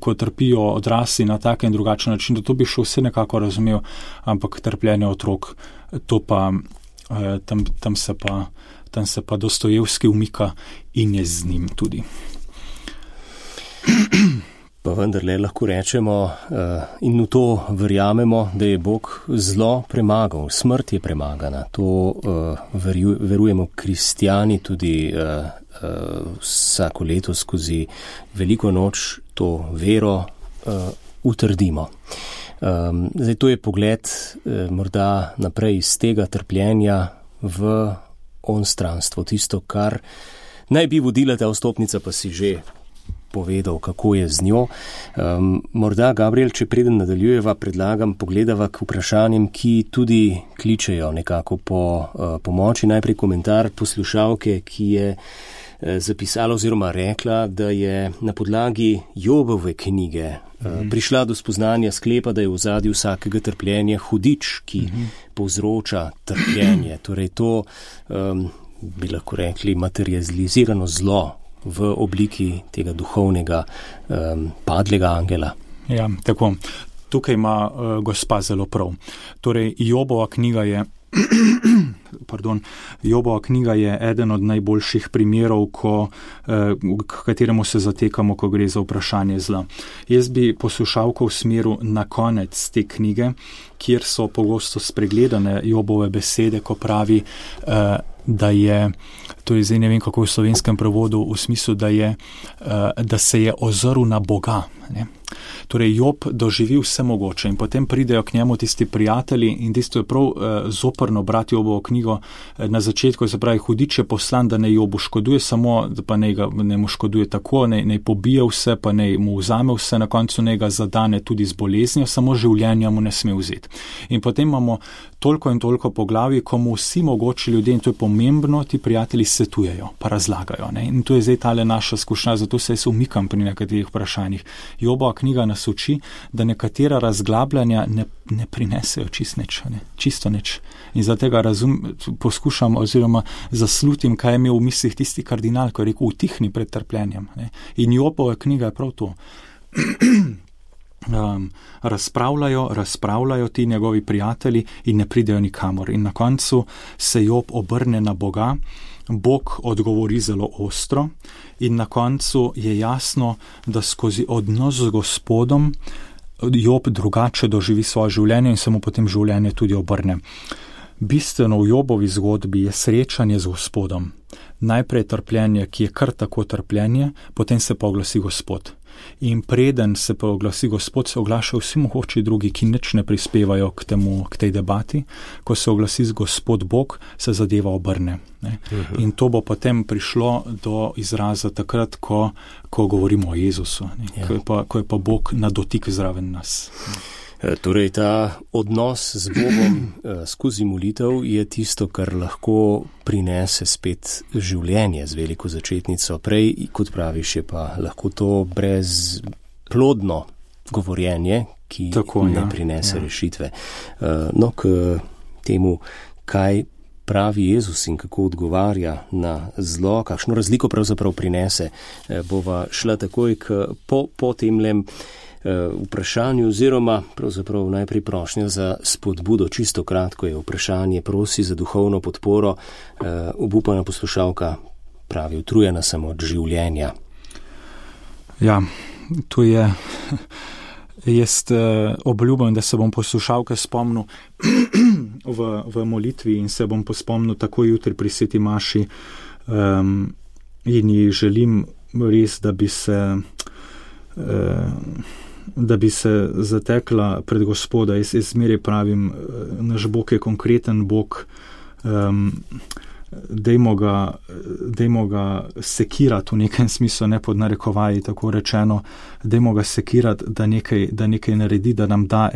Ko trpijo odrasli na tak in drugačen način, da to bi še vse nekako razumel, ampak trpljenje otrok, to pa, tam se pa Dostojevski umika in je z njim tudi. Pa vendarle lahko rečemo in v to verjamemo, da je Bog zlo premagal, smrt je premagana. To verujemo kristjani tudi vsako leto skozi Veliko noč to vero utrdimo. Zdaj to je pogled morda naprej iz tega trpljenja v onstranstvo, tisto, kar naj bi vodila ta vstopnica, pa si že povedal, kako je z njo. Morda, Gabriel, če preden nadaljujeva, predlagam pogledava k vprašanjem, ki tudi kličejo nekako po pomoči. Najprej komentar poslušalke, ki je zapisala oziroma rekla, da je na podlagi Jobove knjige prišla do spoznanja sklepa, da je v ozadju vsakega trpljenja hudič, ki povzroča trpljenje. Torej to, bi lahko rekli, materializirano zlo v obliki tega duhovnega padlega angela. Ja, tako. Tukaj ima gospa zelo prav. Torej, Jobova knjiga je eden od najboljših primerov, k kateremu se zatekamo, ko gre za vprašanje zla. Jaz bi poslušalko usmeril na konec te knjige, kjer so pogosto spregledane Jobove besede, ko pravi, da je, to je zdaj ne vem kako v slovenskem prevodu, v smislu, da se je ozrl na Boga. Ne? Torej, Job doživi vse mogoče in potem pridejo k njemu tisti prijatelji in tisto je prav zoprno brati Jobovo knjigo na začetku, se pravi, hudič je poslan, da ne Jobu škoduje, samo da pa ne mu škoduje tako, ne pobije vse, pa ne mu vzame vse, na koncu ne ga zadane tudi z boleznijo, samo življenja mu ne sme vzeti. In potem imamo toliko in toliko poglavij, ko mu vsi mogoči ljudje, in to je pomembno, ti prijatelji svetujejo, pa razlagajo. Ne? In to je zdaj tale naša skušnja, zato se jaz umikam pri nekaterih vprašanjih. Jobova knjiga nas uči, da nekatera razglabljanja ne prinesejo čisto nič. In zato ga poskušam oziroma zaslutim, kaj je imel v mislih tisti kardinal, ko je rekel, utihni pred trpljenjem. Ne? In Jobova knjiga je prav to. Razpravljajo ti njegovi prijatelji in ne pridejo nikamor. In na koncu se Job obrne na Boga, Bog odgovori zelo ostro in na koncu je jasno, da skozi odnos z Gospodom Job drugače doživi svoje življenje in se mu potem življenje tudi obrne. Bistveno v Jobovi zgodbi je srečanje z Gospodom. Najprej trpljenje, ki je kar tako trpljenje, potem se pa oglasi Gospod. In preden se pa oglasi Gospod, se oglašajo vsi mogoči drugi, ki nič ne prispevajo k tej debati. Ko se oglasi Gospod Bog, se zadeva obrne. Ne? In to bo potem prišlo do izraza takrat, ko govorimo o Jezusu, ja. Ko je pa Bog na dotik zraven nas. Torej, ta odnos z Bogom skozi molitev je tisto, kar lahko prinese spet življenje z veliko začetnico. Prej, kot praviš, je pa lahko to brezplodno govorjenje, ki ne prinese rešitve. No, k temu, kaj pravi Jezus in kako odgovarja na zlo, kakšno razliko pravzaprav prinese, bova šla takoj po temlem vprašanju oziroma pravzaprav najprej prošnja za spodbudo. Čisto kratko je vprašanje, prosi za duhovno podporo. Obupana poslušalka pravi, utrujena sem od življenja. Ja, to je... Jaz obljubim, da se bom poslušalke spomnil v molitvi in se bom pospomnil tako jutri pri Sveti maši in ji želim res, da bi se zatekla pred Gospoda. Jaz zmeraj pravim, naš Bog je konkreten Bog, dajmo ga sekirati v nekem smislu, ne pod narekovaji, tako rečeno, dajmo ga sekirati, da nekaj naredi, da nam da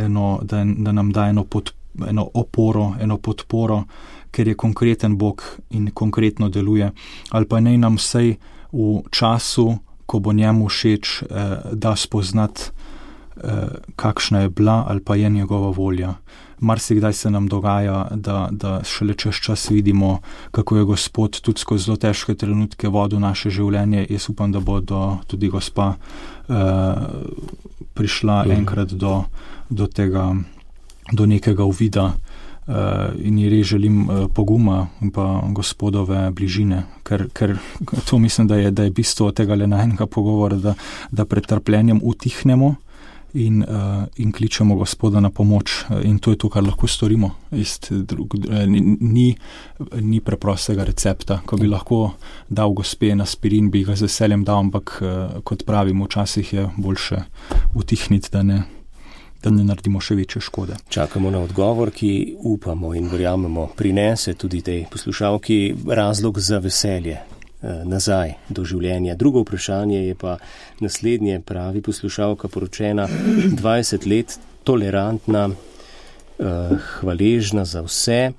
eno oporo, eno podporo, ker je konkreten Bog in konkretno deluje. Ali pa naj nam vsej v času, ko bo njemu všeč, da spoznati kakšna je bila ali pa je njegova volja. Marsikdaj se nam dogaja, da šele čez čas vidimo, kako je Gospod tudi skozi zelo težke trenutke vodil naše življenje. Jaz upam, da bo tudi Gospa prišla enkrat do nekega uvida in ji res želim poguma in pa Gospodove bližine, ker to mislim, da je bistvo tega najnega pogovora, da pred trpljenjem utihnemo in kličemo Gospoda na pomoč, in to je to, kar lahko storimo. Ni preprostega recepta, ko bi lahko dal Gospe en aspirin, bi ga z veseljem dal, ampak kot pravim, včasih je boljše utihniti, da ne naredimo še večje škode. Čakamo na odgovor, ki upamo in verjamemo prinese tudi tej poslušalki razlog za veselje nazaj do življenja. Drugo vprašanje je pa naslednje, pravi poslušalka, poročena 20 let, tolerantna, hvaležna za vse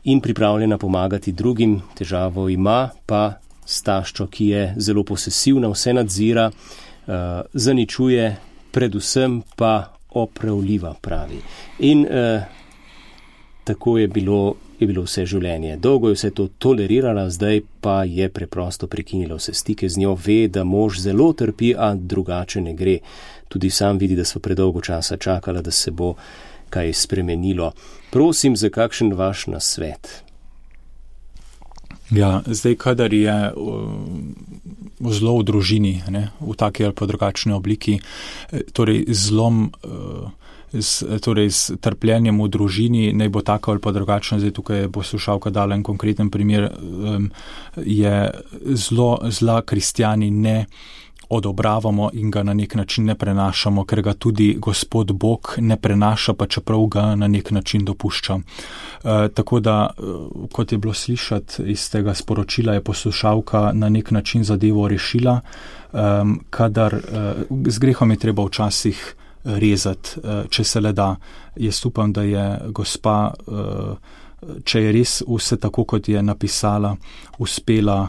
in pripravljena pomagati drugim. Težavo ima pa s taščo, ki je zelo posesivna, vse nadzira, zaničuje, predvsem pa opravljiva, pravi. In tako je bilo vse življenje. Dolgo je vse to tolerirala, zdaj pa je preprosto prekinila vse stike z njo, ve, da mož zelo trpi, a drugače ne gre. Tudi sam vidi, da sva predolgo časa čakala, da se bo kaj spremenilo. Prosim za kakšen vaš nasvet. Ja, zdaj, kadar je zlo v družini, v taki ali pa drugačni obliki, torej zlom, torej s trpljenjem v družini, naj bo tako ali pa drugačno, zdaj tukaj je poslušalka dala en konkreten primer, je zla kristjani ne odobravamo in ga na nek način ne prenašamo, ker ga tudi Gospod Bog ne prenaša, pa čeprav ga na nek način dopušča. Tako da, kot je bilo slišati iz tega sporočila, je poslušalka na nek način zadevo rešila, kadar z grehom je treba včasih rezati, če se le da. Jaz upam, da je Gospa, če je res vse tako, kot je napisala, uspela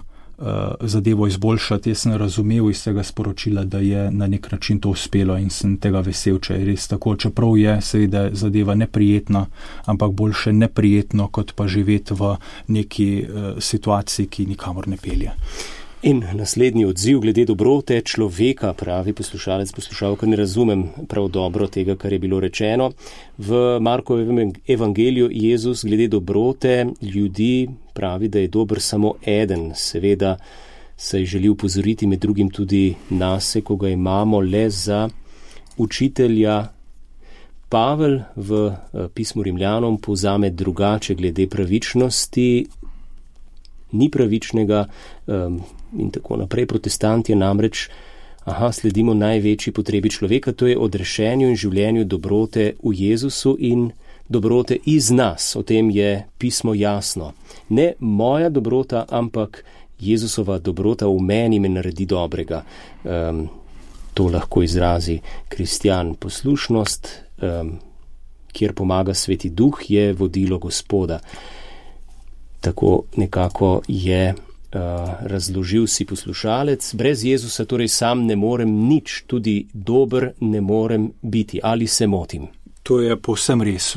zadevo izboljšati. Jaz sem razumel iz tega sporočila, da je na nek način to uspelo in sem tega vesel, če je res tako. Čeprav je seveda zadeva neprijetna, ampak boljše neprijetno, kot pa živeti v neki situaciji, ki nikamor ne pelje. In naslednji odziv glede dobrote človeka, pravi poslušalec, poslušalka, ne razumem prav dobro tega, kar je bilo rečeno. V Markovem evangeliju Jezus glede dobrote ljudi pravi, da je dober samo eden. Seveda se je želel upozoriti med drugim tudi nase, ko ga imamo le za učitelja. Pavel v pismu Rimljanom povzame drugače glede pravičnosti, ni pravičnega in tako naprej. Protestant je namreč, sledimo največji potrebi človeka, to je odrešenju in življenju dobrote v Jezusu in dobrote iz nas. O tem je pismo jasno. Ne moja dobrota, ampak Jezusova dobrota v meni me naredi dobrega. To lahko izrazi kristjan. Poslušnost, kjer pomaga Sveti Duh, je vodilo Gospoda. Tako nekako je razložil si poslušalec. Brez Jezusa torej sam ne morem nič, tudi dober ne morem biti. Ali se motim? To je povsem res.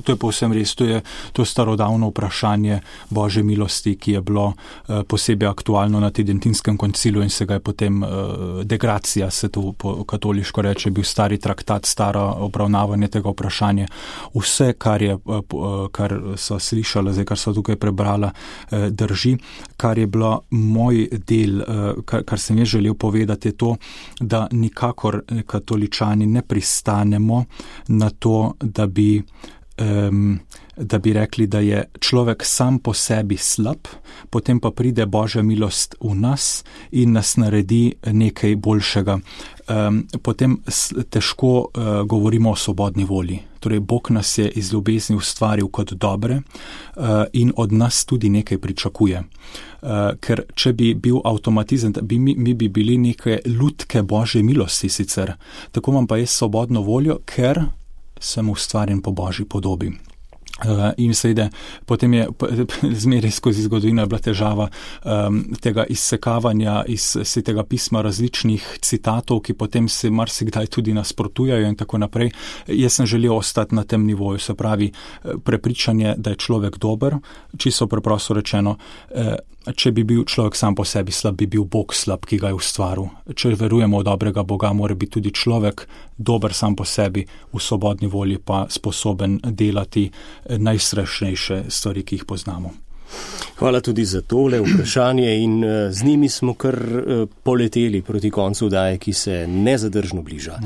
To je to starodavno vprašanje Božje milosti, ki je bilo posebej aktualno na Tridentinskem koncilu in se ga je potem degracija, se to katoliško reče, bil stari traktat, staro obravnavanje tega vprašanja. Vse, kar so slišala, zdaj kar so tukaj prebrala, drži. Kar je bilo moj del, kar sem jaz želel povedati, je to, da nikakor katoličani ne pristanemo na to, da bi rekli, da je človek sam po sebi slab, potem pa pride Božja milost v nas in nas naredi nekaj boljšega. Potem težko govorimo o svobodni volji. Torej, Bog nas je iz ljubezni ustvaril kot dobre in od nas tudi nekaj pričakuje. Ker če bi bil avtomatizem, mi bi bili neke lutke Božje milosti sicer. Tako imam pa jaz svobodno voljo, ker sem ustvarjen po Božji podobi. In seveda, potem je zmeraj skozi zgodovino bila težava tega izsekavanja iz Svetega pisma različnih citatov, ki potem se marsikdaj tudi nasprotujejo in tako naprej. Jaz sem želel ostati na tem nivoju, se pravi prepričanje, da je človek dober, čisto preprosto rečeno, če bi bil človek sam po sebi slab, bi bil Bog slab, ki ga je ustvaril. Če verujemo v dobrega Boga, mora biti tudi človek dober sam po sebi, v svobodni volji pa sposoben delati najstrašnejše stvari, ki jih poznamo. Hvala tudi za tole vprašanje in z njimi smo kar poleteli proti koncu vdaje, ki se nezadržno bliža.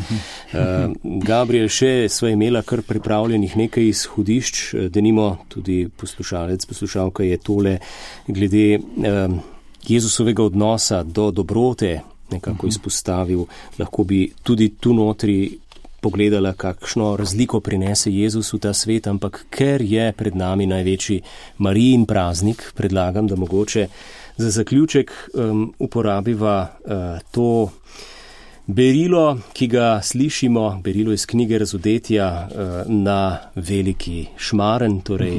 Gabriel, še sva imela kar pripravljenih nekaj izhodišč, denimo tudi poslušalka je tole glede Jezusovega odnosa do dobrote nekako izpostavil. Lahko bi tudi tu notri pogledala, kakšno razliko prinese Jezus v ta svet, ampak ker je pred nami največji Marijin praznik, predlagam, da mogoče za zaključek uporabiva to berilo, ki ga slišimo, berilo iz knjige Razodetja na veliki šmaren, torej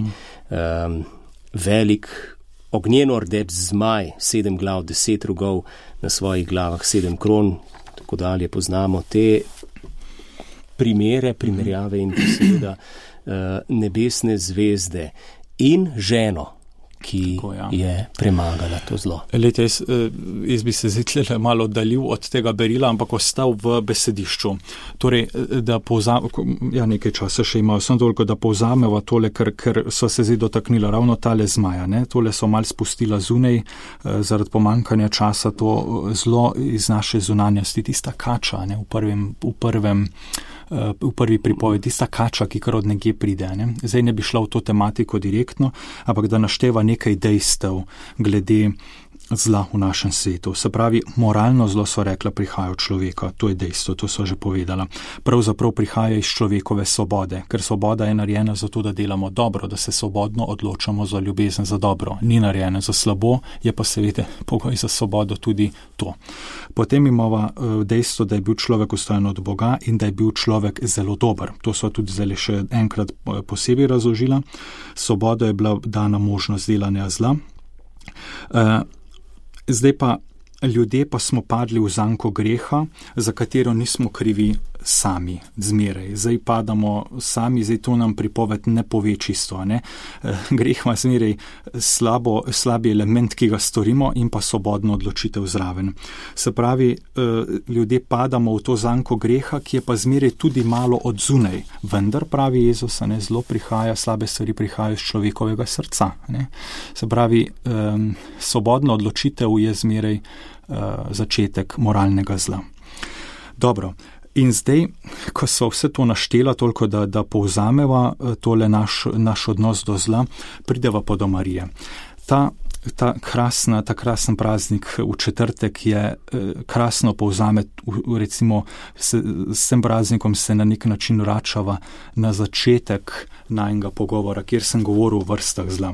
velik ognjeno rdeč zmaj, 7 glav, 10 rogov, na svojih glavah 7 kron, tako dalje poznamo te primerjave in seveda nebesne zvezde in ženo, ki je premagala to zlo. Lejte, jaz bi se zdaj malo oddaljil od tega berila, ampak ostal v besedišču. Torej, da nekaj časa še imajo, samo toliko, da povzameva tole, ker so se zdaj dotaknila ravno tale zmaja. Ne? Tole so mal spustila zunaj, zaradi pomankanja časa to zlo iz naše zunanjosti, tista kača, ne? V prvi pripovedi, tista kača, ki kar od nekje pride. Ne? Zdaj ne bi šla v to tematiko direktno, ampak da našteva nekaj dejstev glede zla v našem svetu. Se pravi, moralno zlo, so rekla, prihaja od človeka, to je dejstvo, to so že povedala. Pravzaprav prihaja iz človekove svobode, ker svoboda je narejena za to, da delamo dobro, da se svobodno odločamo za ljubezen, za dobro. Ni narejena za slabo, je pa seveda pogoj za svobodo tudi to. Potem imamo dejstvo, da je bil človek ustvarjen od Boga in da je bil človek zelo dober. To so tudi zdaj še enkrat posebej razložila. Svoboda je bila dana možnost delanja zla. Zdaj pa ljudje pa smo padli v zanko greha, za katero nismo krivi sami, zmeraj. Zdaj padamo sami, zdaj to nam pripoved ne pove čisto. Ne? Greh ima zmeraj slabi element, ki ga storimo, in pa svobodno odločitev zraven. Se pravi, ljudje padamo v to zanko greha, ki je pa zmeraj tudi malo od zunaj. Vendar, pravi Jezus, ne, zlo prihaja, slabe stvari prihajajo iz človekovega srca. Ne? Se pravi, svobodna odločitev je zmeraj začetek moralnega zla. Dobro. In zdaj, ko so vse to naštela, toliko da povzameva tole naš odnos do zla, prideva pa do Marije. Ta krasen praznik v četrtek je krasno povzame, recimo s tem praznikom se na nek način vračava na začetek najnega pogovora, kjer sem govoril o vrstah zla.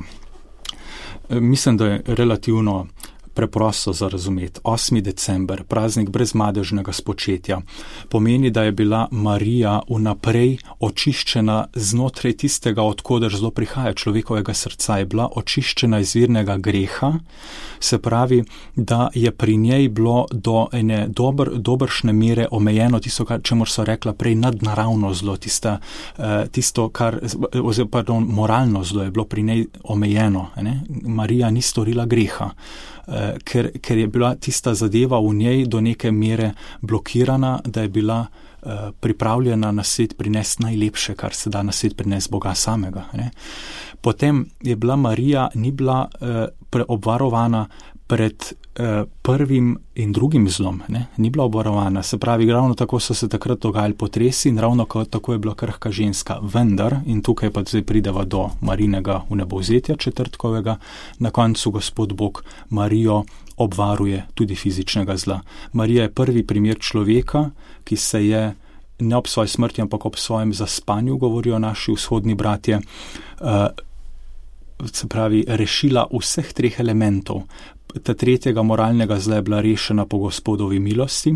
Mislim, da je relativno preprosto za razumeti. 8. december, praznik brezmadežnega spočetja, pomeni, da je bila Marija vnaprej očiščena znotraj tistega, odkoder zlo prihaja, človekovega srca, je bila očiščena iz virnega greha, se pravi, da je pri njej bilo do ene dobršne mere omejeno tisto, čemur so rekla prej nadnaravno zlo, moralno zlo je bilo pri njej omejeno. Ne? Marija ni storila greha. Ker je bila tista zadeva v njej do neke mere blokirana, da je bila pripravljena na svet prinesti najlepše, kar se da na svet prinesti Boga samega. Ne? Potem je bila Marija, ni bila obvarovana pred prvim in drugim zlom, ne? Ni bila obvarovana. Se pravi, ravno tako so se takrat dogajali potresi in ravno tako je bila krhka ženska. Vendar, in tukaj pa zdaj prideva do Marinega vnebovzetja četrtkovega, na koncu Gospod Bog Marijo obvaruje tudi fizičnega zla. Marija je prvi primer človeka, ki se je ne ob svoji smrti, ampak ob svojem zaspanju, govorijo naši vzhodni bratje, se pravi, rešila vseh treh elementov. Ta tretjega moralnega zla je bila rešena po Gospodovi milosti,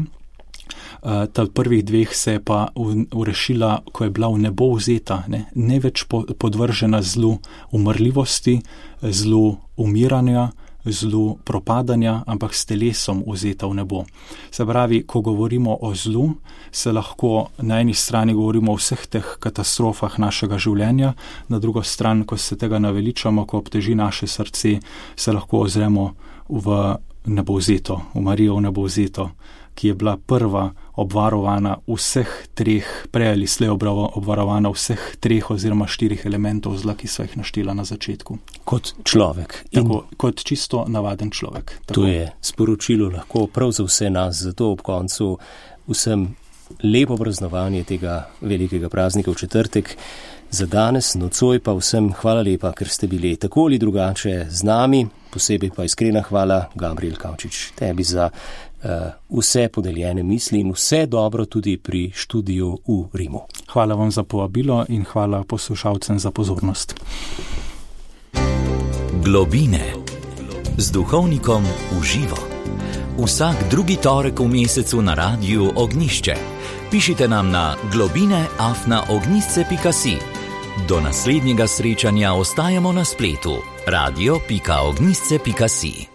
Ta prvih dveh se je pa urešila, ko je bila v nebo vzeta, ne več podvržena zlu umrljivosti, zlu umiranja, zlu propadanja, ampak s telesom vzeta v nebo. Se pravi, ko govorimo o zlu, se lahko na eni strani govorimo o vseh teh katastrofah našega življenja, na drugo stran, ko se tega naveličamo, ko obteži naše srce, se lahko ozremo v nebovzeto, v Marijo v nebovzeto, ki je bila prva obvarovana vseh treh, prej ali slej obvarovana vseh treh oziroma 4 elementov zla, ki so jih naštela na začetku. Kot človek. Tako, kot čisto navaden človek. Tako. To je sporočilo lahko prav za vse nas, zato ob koncu vsem lepo praznovanje tega velikega praznika v četrtek. Za danes, nocoj pa vsem hvala lepa, ker ste bili tako ali drugače z nami, posebej pa iskrena hvala, Gabriel Kavčič, tebi za vse podeljene misli in vse dobro tudi pri študiju v Rimu. Hvala vam za povabilo in hvala poslušalcem za pozornost. Globine z duhovnikom v živo. Vsak drugi torek v mesecu na Radiu Ognjišče. Pišite nam na globine@ognjišče.si. Do naslednjega srečanja ostajamo na spletu radio.ognjišče.si.